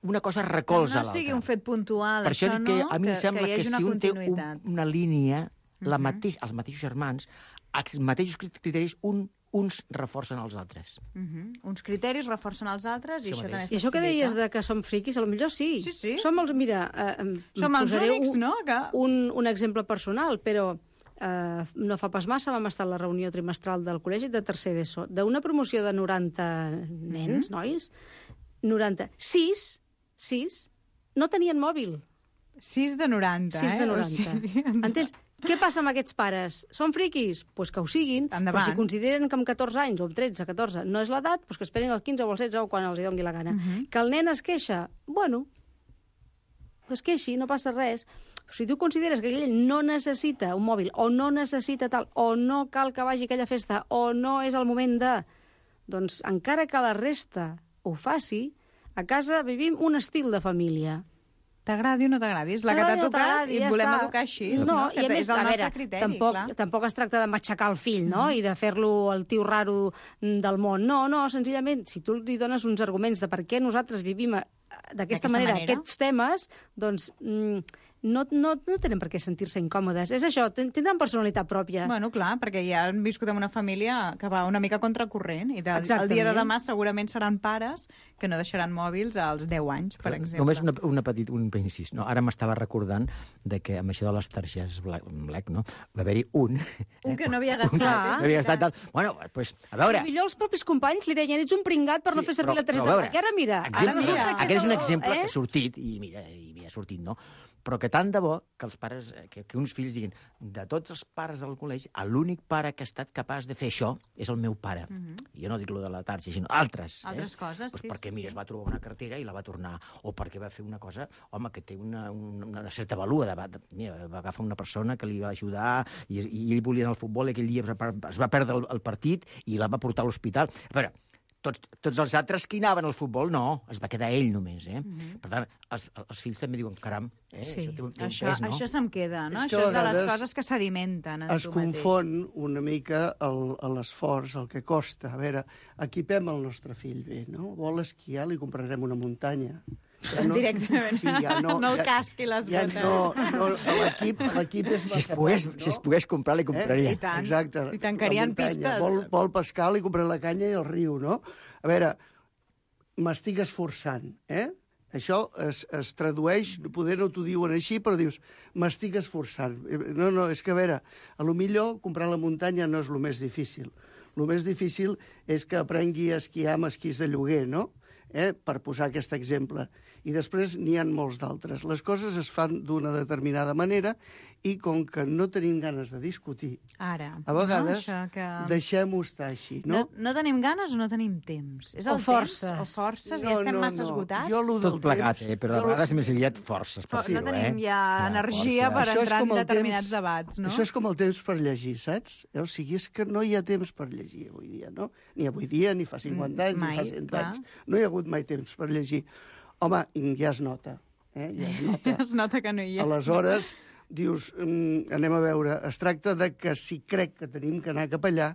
una cosa recolza l'altra. No sigui un fet puntual, per això, això dic que no, a mi que, em sembla que, que, que si un té un, una línia, uh -huh. la mateix, els mateixos germans, els mateixos criteris, un uns reforcen els altres. Uh -huh. Uns criteris reforcen els altres i això, això també I això que deies de que som friquis, potser sí. Sí, sí. Som els, mira, eh, som els únics, un, no? Que... Un, un exemple personal, però eh, no fa pas massa vam estar a la reunió trimestral del col·legi de tercer d'ESO, d'una promoció de noranta nens, uh -huh. nois, noranta-sis, sis, no tenien mòbil. sis de noranta, sis eh? de noranta. O sigui... Entens? Què passa amb aquests pares? Són friquis? Doncs pues que ho siguin, endavant. Però si consideren que amb catorze anys, o amb tretze, catorze, no és l'edat, doncs que esperin el quinze o el setze o quan els hi doni la gana. Uh -huh. Que el nen es queixa? Bueno, es queixi, no passa res. Si tu consideres que aquell no necessita un mòbil, o no necessita tal, o no cal que vagi a aquella festa, o no és el moment de... Doncs encara que la resta ho faci, a casa vivim un estil de família. T'agradi o no t'agradi, és la que t'ha tocat i et volem està. educar així. No, no? I a més, és el a nostre veure, criteri, tampoc, clar. tampoc es tracta de matxacar el fill, no?, mm-hmm. i de fer-lo el tio raro del món. No, no, senzillament, si tu li dones uns arguments de per què nosaltres vivim d'aquesta manera, manera aquests temes, doncs mm, no, no, no tenen per què sentir-se incòmodes. És això, tindran personalitat pròpia. Bueno, clar, perquè ja han viscut en una família que va una mica contracorrent i de, el dia de demà segurament seran pares que no deixaran mòbils als deu anys, per exemple. Només una, una petit, un incís. No? Ara m'estava recordant de que amb això de les targetes Black, Black no? va haver-hi un... Un eh? que no havia gastat. Un que no havia gastat tal. Bueno, doncs, pues, a veure... I millor els propis companys li deien, ets un pringat per sí, no fer servir però, la targeta Black. I ara mira, exemple, ara mira. Aquest és un exemple eh? que ha sortit, i mira, i ha sortit, no? Però que tant de bo que els pares, que, que uns fills diguin, de tots els pares del col·legi, l'únic pare que ha estat capaç de fer això és el meu pare. Uh-huh. Jo no dic lo de la tarja, sinó altres. Altres eh? coses, pues sí. Perquè, sí, mira, sí. es va trobar una cartera i la va tornar, o perquè va fer una cosa, home, que té una, una, una certa valua. De, de, mira, va agafar una persona que li va ajudar i, i ell volia anar al futbol i aquell dia es va, es va perdre el, el partit i la va portar a l'hospital. A veure, tots, tots els altres que hi anaven al futbol, no, es va quedar ell només, eh? Mhm. Per tant, els, els fills també diuen, caram, eh, Sí, això té un, té un això, pes, no? això se'm queda, no? És que Això a és de les vegades coses que sedimenten en Es tu mateix. confon una mica el- l'esforç, el que costa. A veure, equipem el nostre fill bé, no? Vol esquiar, li comprarem una muntanya. Ja Directament. Sí, ja no, No el ja, casqui les ja botes. no, no, l'equip l'equip és Si es, massa pogués, poc, no? si es pogués comprar, li compraria. Eh? I tant. Exacte. I tancarien La muntanya. pistes. Vol, vol pescar, li compraré la canya i el riu, no? A veure, m'estic esforçant, eh? Això es, es tradueix, poder no t'ho diuen així, però dius, m'estic esforçant. No, no, és que, a veure, a lo millor comprar la muntanya no és el més difícil. El més difícil és que aprengui a esquiar amb esquís de lloguer, no? Eh? Per posar aquest exemple. I després n'hi ha molts d'altres. Les coses es fan d'una determinada manera i com que no tenim ganes de discutir, Ara. a vegades no? Això que... deixem-ho estar així, No, no? no tenim ganes o no tenim temps? És O el forces. Temps? O forces? No, I estem no, massa no. esgotats? Jo lo Tot del plegat, temps- eh? Però de jo- vegades més aviat forces per no dir-ho, eh? tenim ja Clar, energia força. per Això és entrar en com el determinats temps- debats, no? Això és com el temps per llegir, saps? Eh, O sigui, és que no hi ha temps per llegir avui dia, no? Ni avui dia, ni fa cinquanta anys, mai, ni fa cent clar. anys. No hi ha hagut mai temps per llegir. Home, ja es nota, eh? Ja es nota. Es nota que no hi és. Aleshores, dius, mm, anem a veure, es tracta de que si crec que tenim que anar cap allà,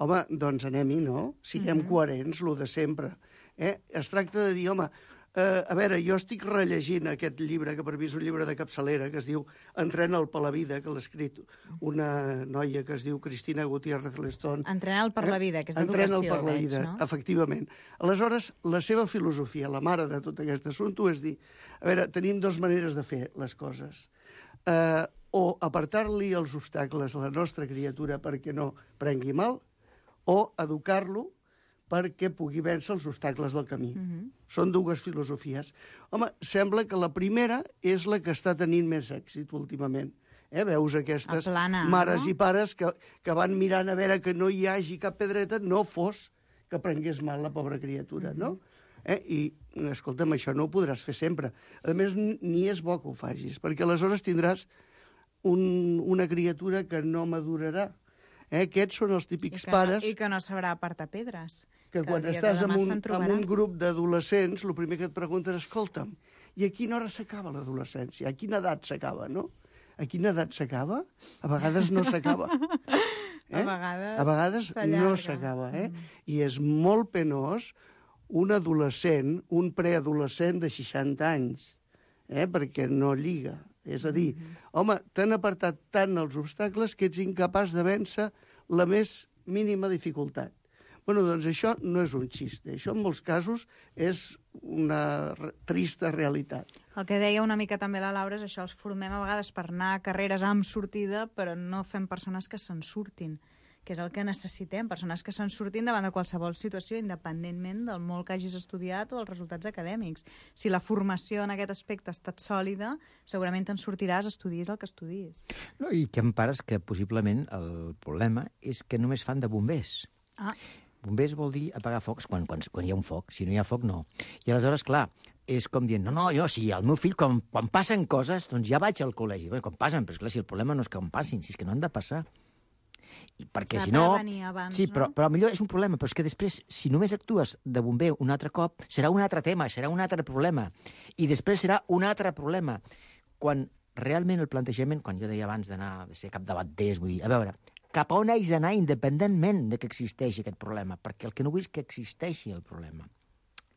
home, doncs anem-hi, no? Siguem Mhm. coherents, lo de sempre. Eh? Es tracta de dir, home, eh, a veure, jo estic rellegint aquest llibre, que per mi és un llibre de capçalera, que es diu Entrena'l per la vida, que l'ha escrit una noia que es diu Cristina Gutiérrez Lestón. Entrena'l per la vida, que és d'educació, Entrena'l per la veig, vida, no? efectivament. Aleshores, la seva filosofia, la mare de tot aquest assumpte, és dir, a veure, tenim dues maneres de fer les coses. Eh, o apartar-li els obstacles a la nostra criatura perquè no prengui mal, o educar-lo perquè pugui vèncer els obstacles del camí. Mhm. Són dues filosofies. Home, sembla que la primera és la que està tenint més èxit últimament. Eh? Veus aquestes Aplanar, mares no? i pares que, que van mirant a veure que no hi hagi cap pedreta, no fos que prengués mal la pobra criatura, no? Eh? I, escolta'm, això no ho podràs fer sempre. A més, ni és bo que ho facis, perquè aleshores tindràs un, una criatura que no madurarà. Eh? Aquests són els I típics que, pares no, I que no sabrà apartar pedres. que el quan dia de estàs demà amb un, se'n amb trobarà. un grup d'adolescents, el primer que et pregunten, escolta'm, i a quina hora s'acaba l'adolescència? A quina edat s'acaba, no? A quina edat s'acaba? A vegades no s'acaba. Eh? A vegades A vegades s'allarga. no s'acaba, eh? Mm. I és molt penós un adolescent, un preadolescent de seixanta anys, eh? Perquè no lliga. És a dir, Mm-hmm. home, t'han apartat tant els obstacles que ets incapaç de vèncer la més mínima dificultat. Bueno, doncs això no és un xiste. Això, en molts casos, és una re- trista realitat. El que deia una mica també la Laura és això, els formem a vegades per anar a carreres amb sortida, però no fem persones que se'n surtin, que és el que necessitem, persones que se'n surtin davant de qualsevol situació, independentment del molt que hagis estudiat o dels resultats acadèmics. Si la formació en aquest aspecte ha estat sòlida, segurament te'n sortiràs, estudis el que estudis. No, i que em pares que possiblement el problema és que només fan de bombers. Ah, Bombers vol dir apagar focs quan, quan, quan hi ha un foc. Si no hi ha foc, no. I aleshores, clar, és com dient, no, no, jo, sí, el meu fill, quan, quan passen coses, doncs ja vaig al col·legi. Bé, quan passen, però esclar, si el problema no és que on passin, si és que no han de passar. I perquè S'ha si de no... prevenir abans, sí, però, no? però millor és un problema, però és que després, si només actues de bomber un altre cop, serà un altre tema, serà un altre problema. I després serà un altre problema. Quan realment el plantejament, quan jo deia abans d'anar, de ser capdavanters, vull dir, a veure, cap a on haig d'anar independentment de que existeixi aquest problema, perquè el que no vull és que existeixi el problema.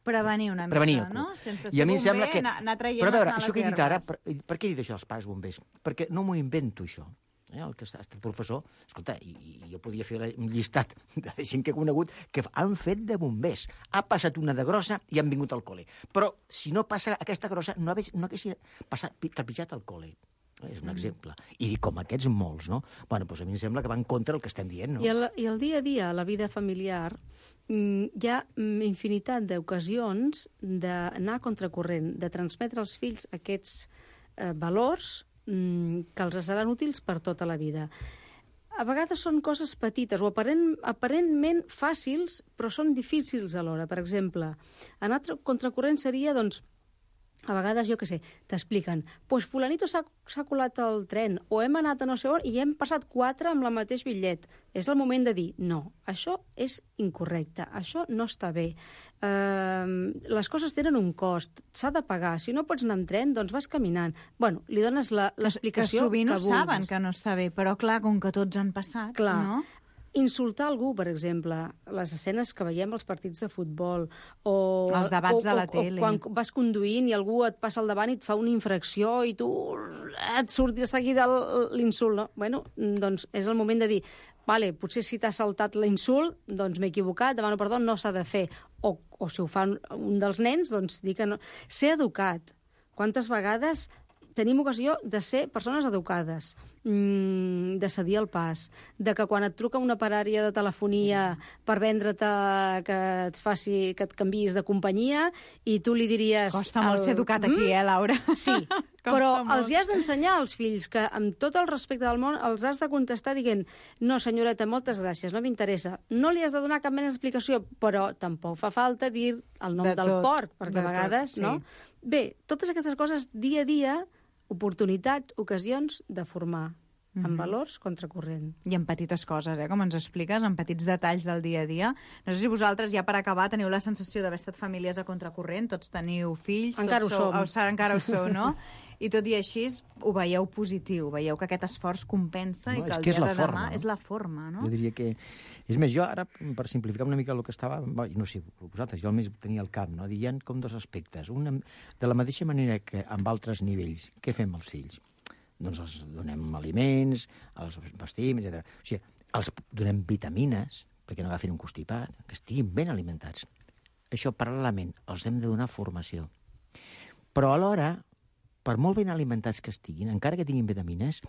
prevenir una mica, Prevenir, no? Sense I a ser mi em bomber, sembla que... anar, anar traient Però a veure, les això que he males dit ara, herbes. per, per què he dit això als pares bombers? Perquè no m'ho invento, això. Eh? El que ha estat professor, escolta, i, i jo podia fer un llistat de la gent que he conegut que han fet de bombers. Ha passat una de grossa i han vingut al col·le. Però si no passa aquesta grossa, no, hagués, no hagués passat, trepitjat al col·le. És un exemple. I com aquests molts, no? Bueno, doncs a mi em sembla que va en contra del que estem dient, no? I el, I el dia a dia, la vida familiar, mm, hi ha mm, infinitat d'ocasions d'anar a contracorrent, de transmetre als fills aquests eh, valors mm, que els seran útils per tota la vida. A vegades són coses petites o aparent, aparentment fàcils, però són difícils alhora. Per exemple, anar a contracorrent seria, doncs, a vegades, jo què sé, t'expliquen, pues fulanito s'ha colat al tren, o hem anat a no sé on i hem passat quatre amb el mateix bitllet. És el moment de dir, no, això és incorrecte, això no està bé. Uh, les coses tenen un cost, s'ha de pagar. Si no pots anar amb tren, doncs vas caminant. Bueno, li dones l'explicació que, que sovint que ho saben, que no està bé, però clar, com que tots han passat, clar. No? Insultar algú, per exemple, les escenes que veiem als partits de futbol, o els debats o, de la o, tele. O quan vas conduint i algú et passa al davant i et fa una infracció i tu et surt de seguida l'insult, no? Bueno, doncs és el moment de dir, vale, potser si t'ha saltat l'insult, doncs m'he equivocat, demano perdó, no s'ha de fer. O, o si ho fa un dels nens, doncs dir que no. Ser educat. Quantes vegades tenim ocasió de ser persones educades, mmm, de cedir el pas, de que quan et truca una parària de telefonia per vendre't que et faci, que et canviïs de companyia i tu li diries... Costa molt el... ser educat aquí, eh, Laura? Sí, però els hi has d'ensenyar als fills que, amb tot el respecte del món, els has de contestar dient no, senyoreta, moltes gràcies, no m'interessa. No li has de donar cap mena d'explicació, però tampoc fa falta dir el nom de del tot, porc, perquè a vegades, tot, sí. no? Bé, totes aquestes coses, dia a dia, oportunitats, ocasions de formar en mm-hmm. valors contracorrent. I en petites coses, eh, com ens expliques, en petits detalls del dia a dia. No sé si vosaltres, ja per acabar, teniu la sensació d'haver estat famílies a contracorrent, tots teniu fills... Encara ho sou, som. O, encara ho sou, no? I tot i així ho veieu positiu, veieu que aquest esforç compensa no, i que el que dia de demà forma, no? és la forma, no? Jo diria que... És més, jo ara, per simplificar una mica el que estava... No sé, vosaltres, jo almenys tenia al cap, no? Hi ha com dos aspectes. Un, de la mateixa manera que amb altres nivells, què fem als fills? Doncs els donem aliments, els vestim, etcètera. O sigui, els donem vitamines, perquè no agafin un constipat, que estiguin ben alimentats. Això, paral·lelament, els hem de donar formació. Però alhora, per molt ben alimentats que estiguin, encara que tinguin vitamines,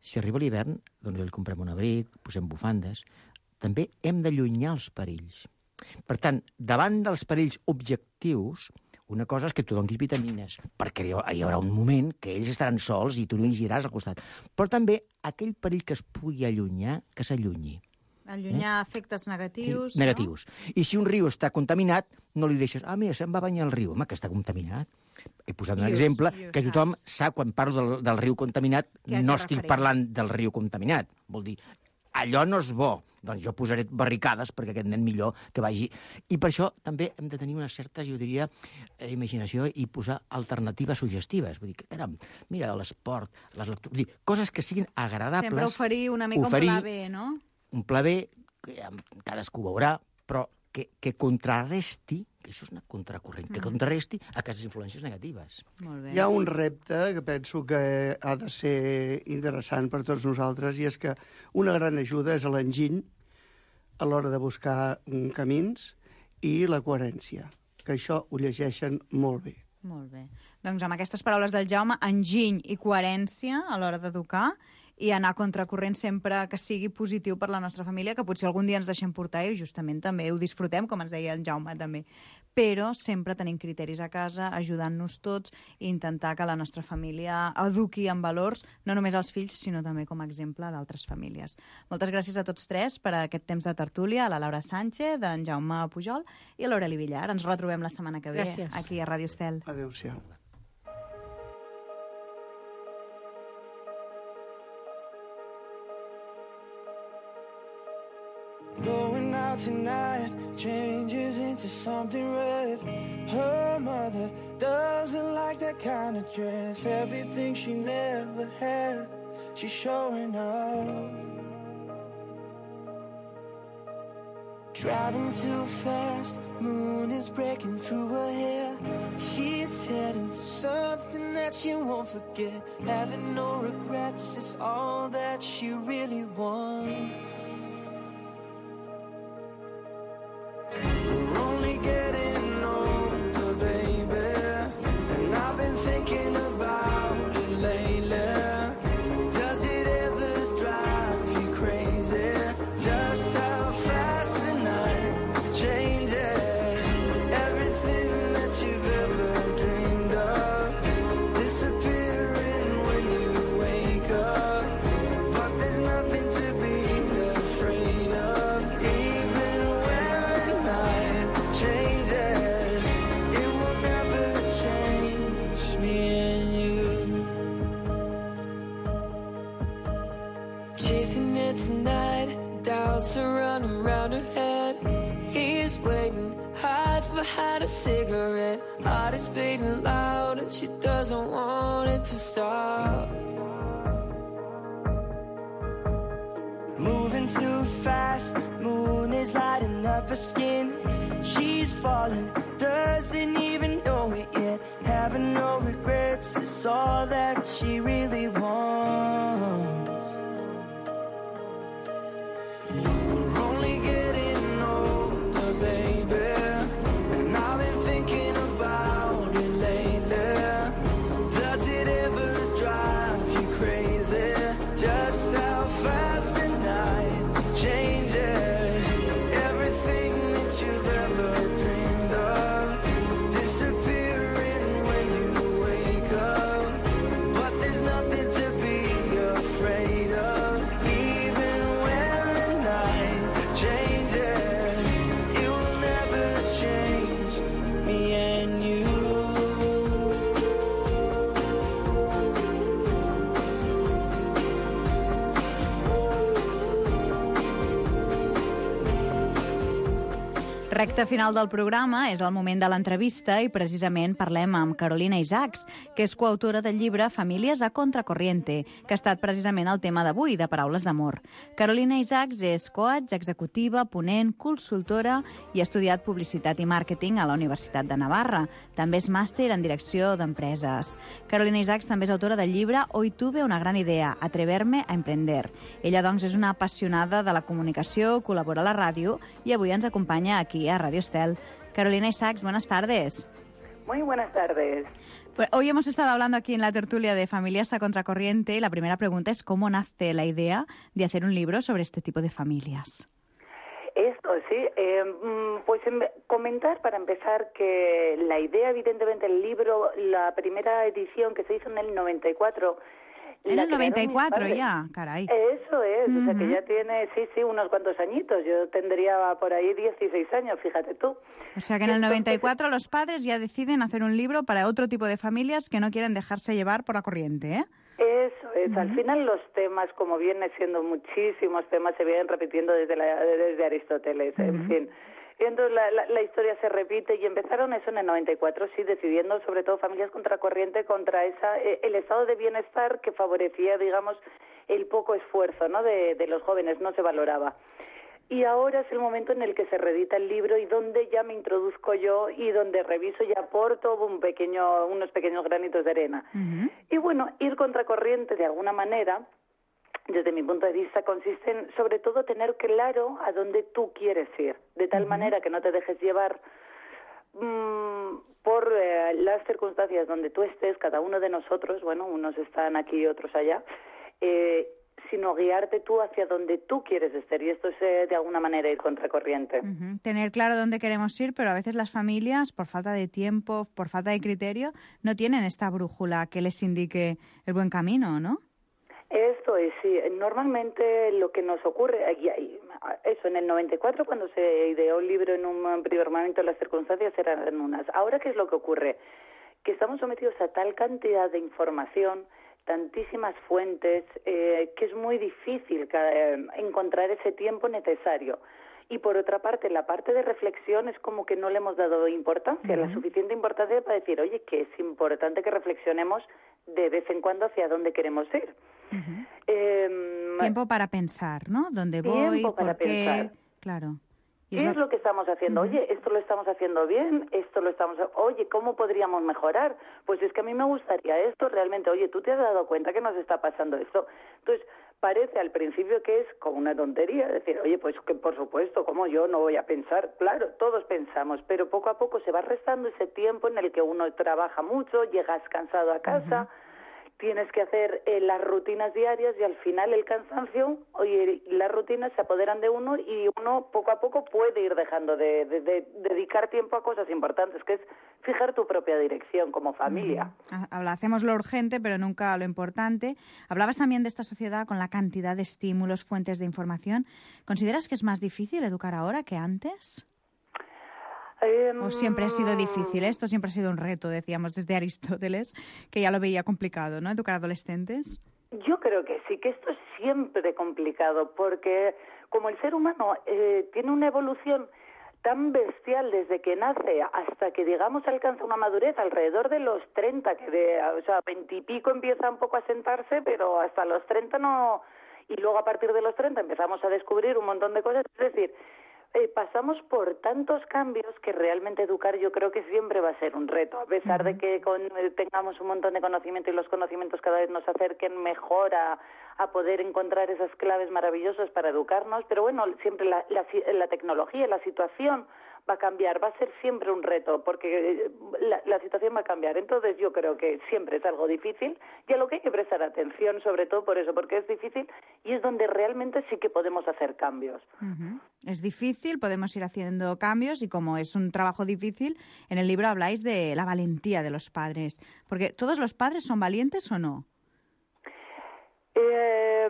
si arriba l'hivern, doncs li comprem un abric, posem bufandes. També hem d'allunyar els perills. Per tant, davant dels perills objectius, una cosa és que tu donis vitamines, perquè hi haurà un moment que ells estaran sols i tu no hi giràs al costat. Però també aquell perill que es pugui allunyar, que s'allunyi. Allunyar eh? efectes negatius. Sí, negatius. No? I si un riu està contaminat, no li deixes, ah, mira, se'n va banyar el riu. Home, que està contaminat. He posat un I exemple us, que tothom saps. sap, quan parlo del, del riu contaminat, no estic referent? parlant del riu contaminat. Vol dir, allò no és bo. Doncs jo posaré barricades perquè aquest nen millor que vagi. I per això també hem de tenir una certa, jo diria, eh, imaginació i posar alternatives suggestives. Vull dir, caram, mira, l'esport, les lectures... Vull dir, coses que siguin agradables. Sempre oferir una mica oferir un pla B, no? Un pla B, que cadascú veurà, però que, que contrarresti, que això és una contracorrent, mm. que contrarresti aquestes influències negatives. Molt bé. Hi ha un repte que penso que ha de ser interessant per tots nosaltres, i és que una gran ajuda és l'enginy a l'hora de buscar camins i la coherència, que això ho llegeixen molt bé. Molt bé. Doncs amb aquestes paraules del Jaume, enginy i coherència a l'hora d'educar, i anar a contracorrent sempre que sigui positiu per la nostra família, que potser algun dia ens deixem portar i justament també ho disfrutem, com ens deia el Jaume també. Però sempre tenim criteris a casa, ajudant-nos tots i intentar que la nostra família eduqui en valors, no només als fills, sinó també com a exemple d'altres famílies. Moltes gràcies a tots tres per aquest temps de tertúlia, a la Laura Sánchez, en Jaume Pujol i a l'Aureli Villar. Ens retrobem la setmana que ve gràcies. aquí a Ràdio Estel. Adéu-siau. Going out tonight changes into something red. Her mother doesn't like that kind of dress. Everything she never had, she's showing off. Driving too fast, moon is breaking through her hair. She's heading for something that she won't forget. Having no regrets is all that she really wants. We're only getting older, baby, and I've been thinking about it lately. Does it ever drive you crazy? Just how fast the night changes. Everything that you've ever dreamed of disappearing when you wake up. But there's nothing to be here tonight. Doubts are running round her head. He's waiting, hides behind a cigarette. Heart is beating loud and she doesn't want it to stop. Moving too fast, moon is lighting up her skin. She's falling, doesn't even know it yet. Having no regrets is all that she really wants. We're only getting older, baby, and I've been thinking about it lately. Does it ever drive you crazy? Just how fast the night changes. Everything that you've ever dreamed of disappearing when you wake up. But there's nothing to be afraid of. Even when the night changes, it will never change me and you. Recte final del programa és el moment de l'entrevista i precisament parlem amb Carolina Isaacs, que és coautora del llibre Famílies a Contracorriente, que ha estat precisament el tema d'avui, de Paraules d'amor. Carolina Isaacs és coach, executiva, ponent, consultora i ha estudiat publicitat i màrqueting a la Universitat de Navarra. També és màster en direcció d'empreses. Carolina Isaacs també és autora del llibre Hoy tuve una gran idea, atreverme a emprender. Ella, doncs, és una apassionada de la comunicació, col·labora a la ràdio i avui ens acompanya aquí a Radio Estel. Carolina Isaacs, buenas tardes. Muy buenas tardes. Pues hoy hemos estado hablando aquí en la tertulia de Familias a Contracorriente y la primera pregunta es ¿cómo nace la idea de hacer un libro sobre este tipo de familias? Esto sí, eh, pues comentar para empezar que la idea, evidentemente, el libro, la primera edición que se hizo en el noventa y cuatro... En el noventa y cuatro ya, caray. Eso es, uh-huh. O sea que Ujú. ya tiene, sí, sí, unos cuantos añitos. Yo tendría por ahí dieciséis años, fíjate tú. O sea que en el noventa y cuatro los padres ya deciden hacer un libro para otro tipo de familias que no quieren dejarse llevar por la corriente, ¿eh? Eso es, al final los temas, como viene siendo muchísimos temas, se vienen repitiendo desde, la, desde Aristóteles, en fin. Y entonces la, la, la historia se repite y empezaron eso en el noventa y cuatro, sí, decidiendo sobre todo familias contracorriente contra esa eh, el estado de bienestar que favorecía, digamos, el poco esfuerzo, ¿no?, de, de los jóvenes, no se valoraba. Y ahora es el momento en el que se reedita el libro y donde ya me introduzco yo y donde reviso y aporto un pequeño, unos pequeños granitos de arena. Uh-huh. Y bueno, ir contracorriente de alguna manera, desde mi punto de vista, consiste en, sobre todo, tener claro a dónde tú quieres ir, de tal uh-huh. manera que no te dejes llevar mmm, por eh, las circunstancias donde tú estés, cada uno de nosotros, bueno, unos están aquí y otros allá, eh, sino guiarte tú hacia donde tú quieres estar, y esto es eh, de alguna manera ir contracorriente. Uh-huh. Tener claro dónde queremos ir, pero a veces las familias, por falta de tiempo, por falta de criterio, no tienen esta brújula que les indique el buen camino, ¿no? Esto es, sí. Normalmente lo que nos ocurre, eso, en el noventa y cuatro, cuando se ideó el libro en un primer momento, las circunstancias eran unas. Ahora, ¿qué es lo que ocurre? Que estamos sometidos a tal cantidad de información, tantísimas fuentes, eh, que es muy difícil eh, encontrar ese tiempo necesario. Y por otra parte, la parte de reflexión es como que no le hemos dado importancia, uh-huh. la suficiente importancia para decir, oye, que es importante que reflexionemos de vez en cuando hacia dónde queremos ir. Uh-huh. Eh, tiempo para pensar, ¿no? ¿Dónde voy? Tiempo para ¿por qué? pensar. Claro. ¿Qué es lo... lo que estamos haciendo? Uh-huh. Oye, esto lo estamos haciendo bien, esto lo estamos... Oye, ¿cómo podríamos mejorar? Pues es que a mí me gustaría esto realmente. Oye, ¿tú te has dado cuenta que nos está pasando esto? Entonces, parece al principio que es como una tontería, decir, oye, pues que por supuesto, ¿cómo yo no voy a pensar? Claro, todos pensamos, pero poco a poco se va restando ese tiempo en el que uno trabaja mucho, llegas cansado a casa... Uh-huh. Tienes que hacer eh, las rutinas diarias y al final el cansancio y las rutinas se apoderan de uno y uno poco a poco puede ir dejando de, de, de dedicar tiempo a cosas importantes, que es fijar tu propia dirección como familia. Uh-huh. Hacemos lo urgente, pero nunca lo importante. Hablabas también de esta sociedad con la cantidad de estímulos, fuentes de información. ¿Consideras que es más difícil educar ahora que antes? ¿O siempre ha sido difícil? Esto siempre ha sido un reto, decíamos, desde Aristóteles, que ya lo veía complicado, ¿no? Educar adolescentes. Yo creo que sí, que esto siempre complicado, porque como el ser humano eh, tiene una evolución tan bestial desde que nace hasta que, digamos, alcanza una madurez alrededor de los treinta, que de, o sea, veintipico empieza un poco a sentarse, pero hasta los treinta no, y luego a partir de los treinta empezamos a descubrir un montón de cosas, es decir, eh, pasamos por tantos cambios que realmente educar yo creo que siempre va a ser un reto, a pesar uh-huh. de que con, eh, tengamos un montón de conocimiento y los conocimientos cada vez nos acerquen mejor a, a poder encontrar esas claves maravillosas para educarnos, pero bueno, siempre la, la, la tecnología, la situación va a cambiar, va a ser siempre un reto, porque la, la situación va a cambiar. Entonces yo creo que siempre es algo difícil y a lo que hay que prestar atención, sobre todo por eso, porque es difícil y es donde realmente sí que podemos hacer cambios. Uh-huh. Es difícil, podemos ir haciendo cambios y como es un trabajo difícil, en el libro habláis de la valentía de los padres, porque ¿todos los padres son valientes o no? Eh,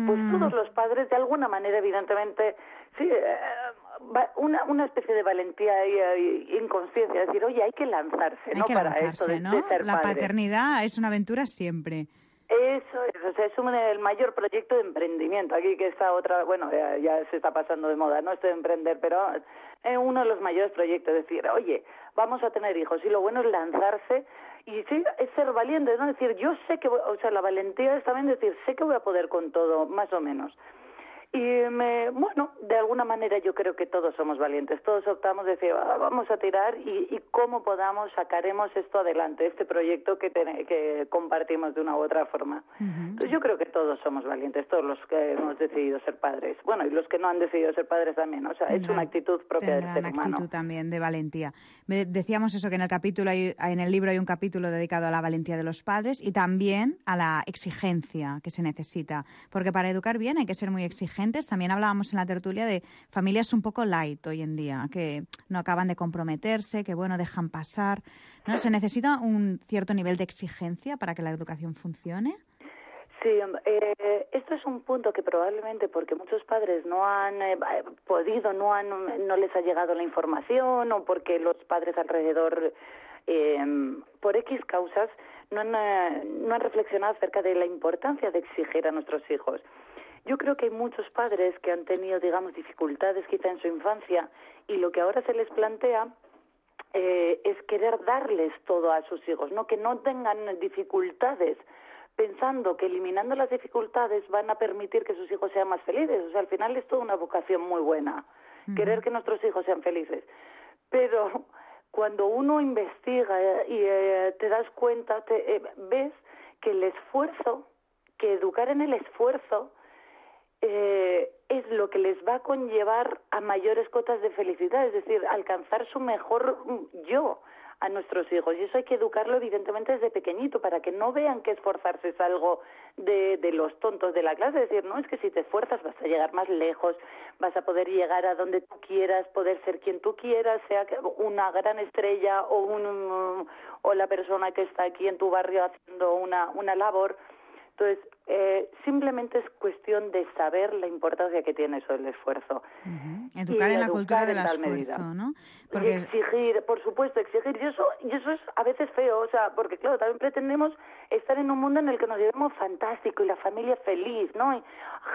pues mm. todos los padres, de alguna manera, evidentemente, sí, eh, una, una especie de valentía e inconsciencia, es decir, oye, hay que lanzarse, hay ¿no? Que para lanzarse, esto de, ¿no? de ser La padre. paternidad es una aventura siempre. Eso es, o sea, es un, el mayor proyecto de emprendimiento. Aquí que está otra, bueno, ya, ya se está pasando de moda, no esto de emprender, pero es uno de los mayores proyectos, es decir, oye, vamos a tener hijos y lo bueno es lanzarse y sí, es ser valiente, ¿no? Es decir, yo sé que, voy, o sea, la valentía es también decir, sé que voy a poder con todo, más o menos. Y me, bueno, de alguna manera yo creo que todos somos valientes, todos optamos de decir, ah, vamos a tirar y, y cómo podamos sacaremos esto adelante, este proyecto que, ten, que compartimos de una u otra forma. Uh-huh. Entonces yo creo que todos somos valientes, todos los que hemos decidido ser padres, bueno, y los que no han decidido ser padres también, o sea, tendrán, es una actitud propia del ser humano. Actitud también de valentía. Decíamos eso, que en el capítulo hay, en el libro hay un capítulo dedicado a la valentía de los padres y también a la exigencia que se necesita, porque para educar bien hay que ser muy exigente. También hablábamos en la tertulia de familias un poco light hoy en día, que no acaban de comprometerse, que bueno, dejan pasar, ¿no? ¿Se necesita un cierto nivel de exigencia para que la educación funcione? Sí, eh, esto es un punto que probablemente porque muchos padres no han eh, podido, no han, no les ha llegado la información o porque los padres alrededor, eh, por X causas, no han, eh, no han reflexionado acerca de la importancia de exigir a nuestros hijos. Yo creo que hay muchos padres que han tenido, digamos, dificultades quizá en su infancia y lo que ahora se les plantea eh, es querer darles todo a sus hijos, no que no tengan dificultades, pensando que eliminando las dificultades van a permitir que sus hijos sean más felices. O sea, al final es toda una vocación muy buena, uh-huh. querer que nuestros hijos sean felices. Pero cuando uno investiga y eh, te das cuenta, te, eh, ves que el esfuerzo, que educar en el esfuerzo, Eh, es lo que les va a conllevar a mayores cotas de felicidad, es decir, alcanzar su mejor yo a nuestros hijos. Y eso hay que educarlo evidentemente desde pequeñito para que no vean que esforzarse es algo de, de los tontos de la clase. Es decir, no, es que si te esfuerzas vas a llegar más lejos, vas a poder llegar a donde tú quieras, poder ser quien tú quieras, sea una gran estrella o, un, o la persona que está aquí en tu barrio haciendo una, una labor. Entonces, eh, simplemente es cuestión de saber la importancia que tiene eso del esfuerzo. Uh-huh. Educar y en la cultura del esfuerzo, medida. ¿no? Porque... Y exigir, por supuesto, exigir. Y eso, y eso es a veces feo, o sea, porque claro, también pretendemos estar en un mundo en el que nos llevemos fantástico y la familia feliz, ¿no? Y,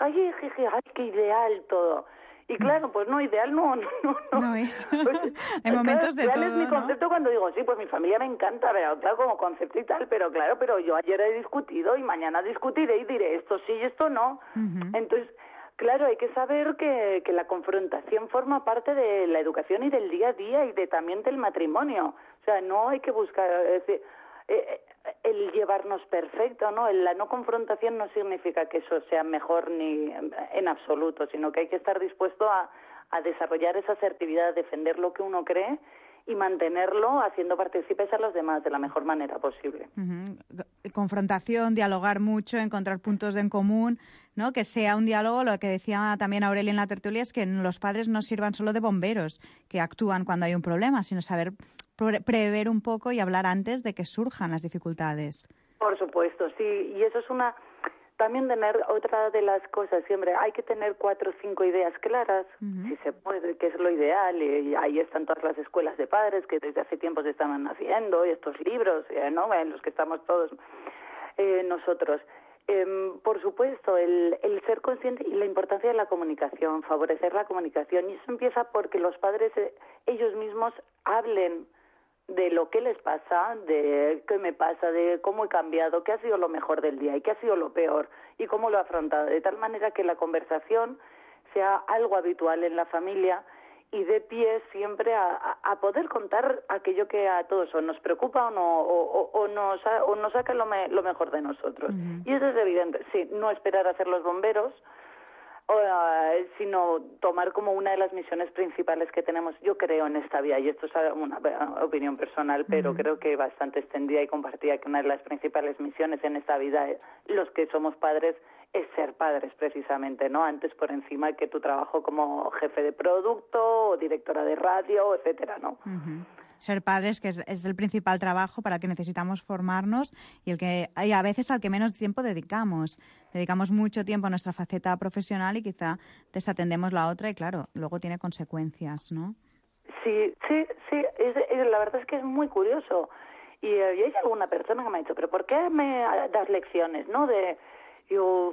ay, ay, ay, ay, qué ideal todo. Y claro, pues no, ideal no, no, no. No es. Pues, Hay momentos de ideal todo, es mi concepto, ¿no? Cuando digo, sí, pues mi familia me encanta, pero claro, como concepto y tal, pero claro, pero yo ayer he discutido y mañana discutiré y diré esto sí y esto no. Uh-huh. Entonces, claro, hay que saber que, que la confrontación forma parte de la educación y del día a día y de también del matrimonio. O sea, no hay que buscar... Es decir, eh, el llevarnos perfecto, ¿no? La no confrontación no significa que eso sea mejor ni en absoluto, sino que hay que estar dispuesto a, a desarrollar esa asertividad, a defender lo que uno cree y mantenerlo haciendo partícipes a los demás de la mejor manera posible. Uh-huh. Confrontación, dialogar mucho, encontrar puntos en común, ¿no? Que sea un diálogo, lo que decía también Aurelia en la tertulia, es que los padres no sirvan solo de bomberos, que actúan cuando hay un problema, sino saber pre- prever un poco y hablar antes de que surjan las dificultades. Por supuesto, sí, y eso es una... También tener otra de las cosas, siempre hay que tener cuatro o cinco ideas claras, uh-huh. si se puede, que es lo ideal, y ahí están todas las escuelas de padres que desde hace tiempo se están haciendo, y estos libros, ¿no? En los que estamos todos eh, nosotros. Eh, por supuesto, el, el ser consciente y la importancia de la comunicación, favorecer la comunicación. Y eso empieza porque los padres eh, ellos mismos hablen de lo que les pasa, de qué me pasa, de cómo he cambiado, qué ha sido lo mejor del día y qué ha sido lo peor y cómo lo he afrontado. De tal manera que la conversación sea algo habitual en la familia y dé pie siempre a, a poder contar aquello que a todos o nos preocupa o, no, o, o, o, nos, o nos saca lo, me, lo mejor de nosotros. Uh-huh. Y eso es evidente, sí, no esperar a ser los bomberos, o, uh, sino tomar como una de las misiones principales que tenemos. Yo creo en esta vida, y esto es una opinión personal, pero uh-huh. creo que bastante extendida y compartida, que una de las principales misiones en esta vida, los que somos padres, es ser padres precisamente, ¿no? Antes por encima que tu trabajo como jefe de producto o directora de radio, etcétera, ¿no? Uh-huh. Ser padres, que es, es el principal trabajo para el que necesitamos formarnos y el que y a veces al que menos tiempo dedicamos. Dedicamos mucho tiempo a nuestra faceta profesional y quizá desatendemos la otra y claro, luego tiene consecuencias, ¿no? Sí, sí, sí, es, es, la verdad es que es muy curioso. Y, y hay alguna persona que me ha dicho, ¿pero por qué me das lecciones, no? De Yo,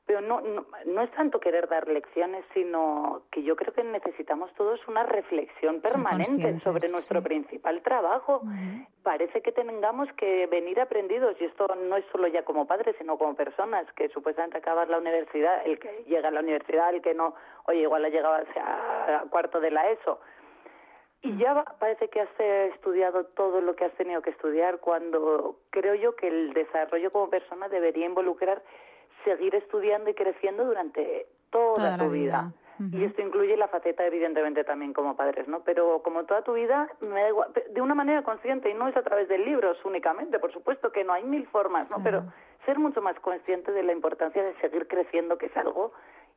pero no, no, no es tanto querer dar lecciones, sino que yo creo que necesitamos todos una reflexión permanente sobre nuestro sí. principal trabajo. Uh-huh. Parece que tengamos que venir aprendidos, y esto no es solo ya como padres, sino como personas, que supuestamente acabas la universidad, el que llega a la universidad, el que no, oye, igual ha llegado a, a cuarto de la ESO. Y ya va, parece que has estudiado todo lo que has tenido que estudiar, cuando creo yo que el desarrollo como persona debería involucrar seguir estudiando y creciendo durante toda, toda tu vida. vida. Uh-huh. Y esto incluye la faceta, evidentemente, también como padres, ¿no? Pero como toda tu vida, me da igual, de una manera consciente, y no es a través de libros únicamente, por supuesto que no, hay mil formas, ¿no? Uh-huh. Pero ser mucho más consciente de la importancia de seguir creciendo, que es algo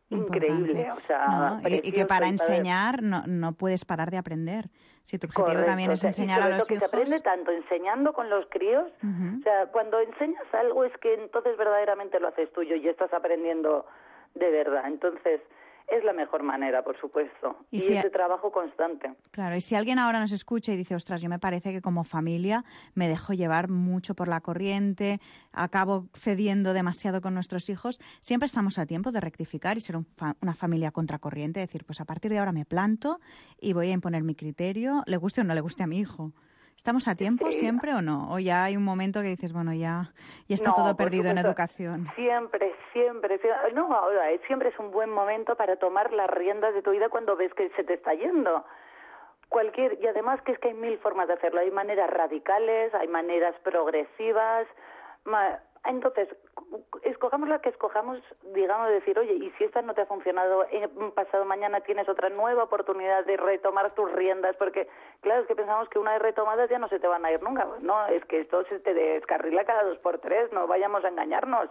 increíble, o sea, no, y, y que para enseñar no, no puedes parar de aprender. Si tu objetivo Correcto, también es enseñar o sea, a los que hijos. Se aprende tanto enseñando con los críos, uh-huh. o sea, cuando enseñas algo es que entonces verdaderamente lo haces tuyo y estás aprendiendo de verdad. Entonces, es la mejor manera, por supuesto. Y, y si ese a... trabajo constante. Claro, y si alguien ahora nos escucha y dice, ostras, yo me parece que como familia me dejo llevar mucho por la corriente, acabo cediendo demasiado con nuestros hijos, siempre estamos a tiempo de rectificar y ser un fa- una familia contracorriente, decir, pues a partir de ahora me planto y voy a imponer mi criterio, le guste o no le guste a mi hijo. ¿Estamos a tiempo sí. siempre o no? ¿O ya hay un momento que dices, bueno, ya, ya está no, todo perdido en educación? Siempre, siempre. No, ahora, siempre es un buen momento para tomar las riendas de tu vida cuando ves que se te está yendo. Cualquier, y además que es que hay mil formas de hacerlo. Hay maneras radicales, hay maneras progresivas. Ma, entonces, escojamos la que escojamos, digamos, decir, oye, y si esta no te ha funcionado, eh, pasado mañana tienes otra nueva oportunidad de retomar tus riendas, porque, claro, es que pensamos que una vez retomadas ya no se te van a ir nunca. Pues no, es que esto se te descarrila cada dos por tres, no vayamos a engañarnos.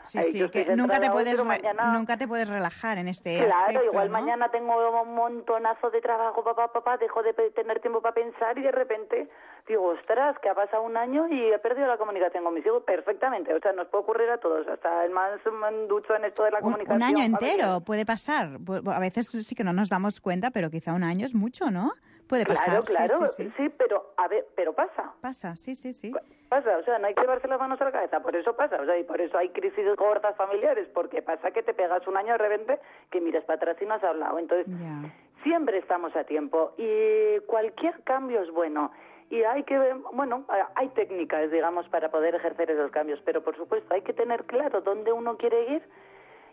Sí, sí, que nunca te, puedes re- mañana... nunca te puedes relajar en este claro, aspecto. Claro, igual ¿no? mañana tengo un montonazo de trabajo, papá, papá, dejo de tener tiempo para pensar y de repente digo, ostras, que ha pasado un año y he perdido la comunicación con mis hijos. Perfectamente, o sea, nos puede ocurrir a todos, hasta el más ducho en esto de la un, comunicación. Un año entero familiar. Puede pasar. A veces sí que no nos damos cuenta, pero quizá un año es mucho, ¿no? Puede pasar. Claro, claro, sí, sí, sí. sí, pero a ver, pero pasa. Pasa, sí, sí, sí. Pasa, o sea, no hay que llevarse las manos a la cabeza, por eso pasa, o sea, y por eso hay crisis gordas familiares, porque pasa que te pegas un año de repente que miras para atrás y no has hablado. Entonces, yeah. siempre estamos a tiempo y cualquier cambio es bueno. Y hay que ver, bueno, hay técnicas, digamos, para poder ejercer esos cambios, pero por supuesto hay que tener claro dónde uno quiere ir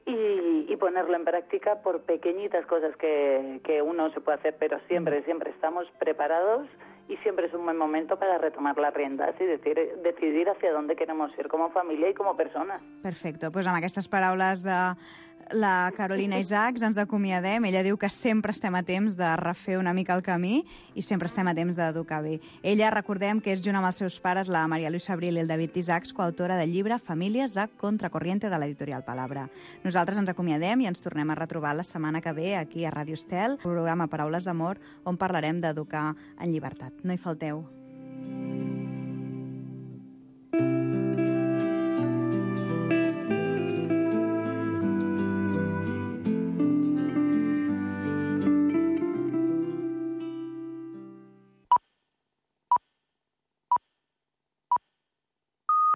y, y ponerlo en práctica por pequeñitas cosas que, que uno se puede hacer, pero siempre, siempre estamos preparados y siempre es un buen momento para retomar las riendas i decir, decidir hacia dónde queremos ir como família i com a persones. Perfecte. Pues amb aquestes paraules de la Carolina Isaacs ens acomiadem. Ella diu que sempre estem a temps de refer una mica el camí i sempre estem a temps d'educar bé. Ella, recordem que és junt amb els seus pares, la Maria Luisa Abril i el David Isaacs, coautora del llibre Famílies a Contracorriente de l'editorial Palabra. Nosaltres ens acomiadem i ens tornem a retrobar la setmana que ve aquí a Ràdio Estel, programa Paraules d'Amor, on parlarem d'educar en llibertat. No hi falteu.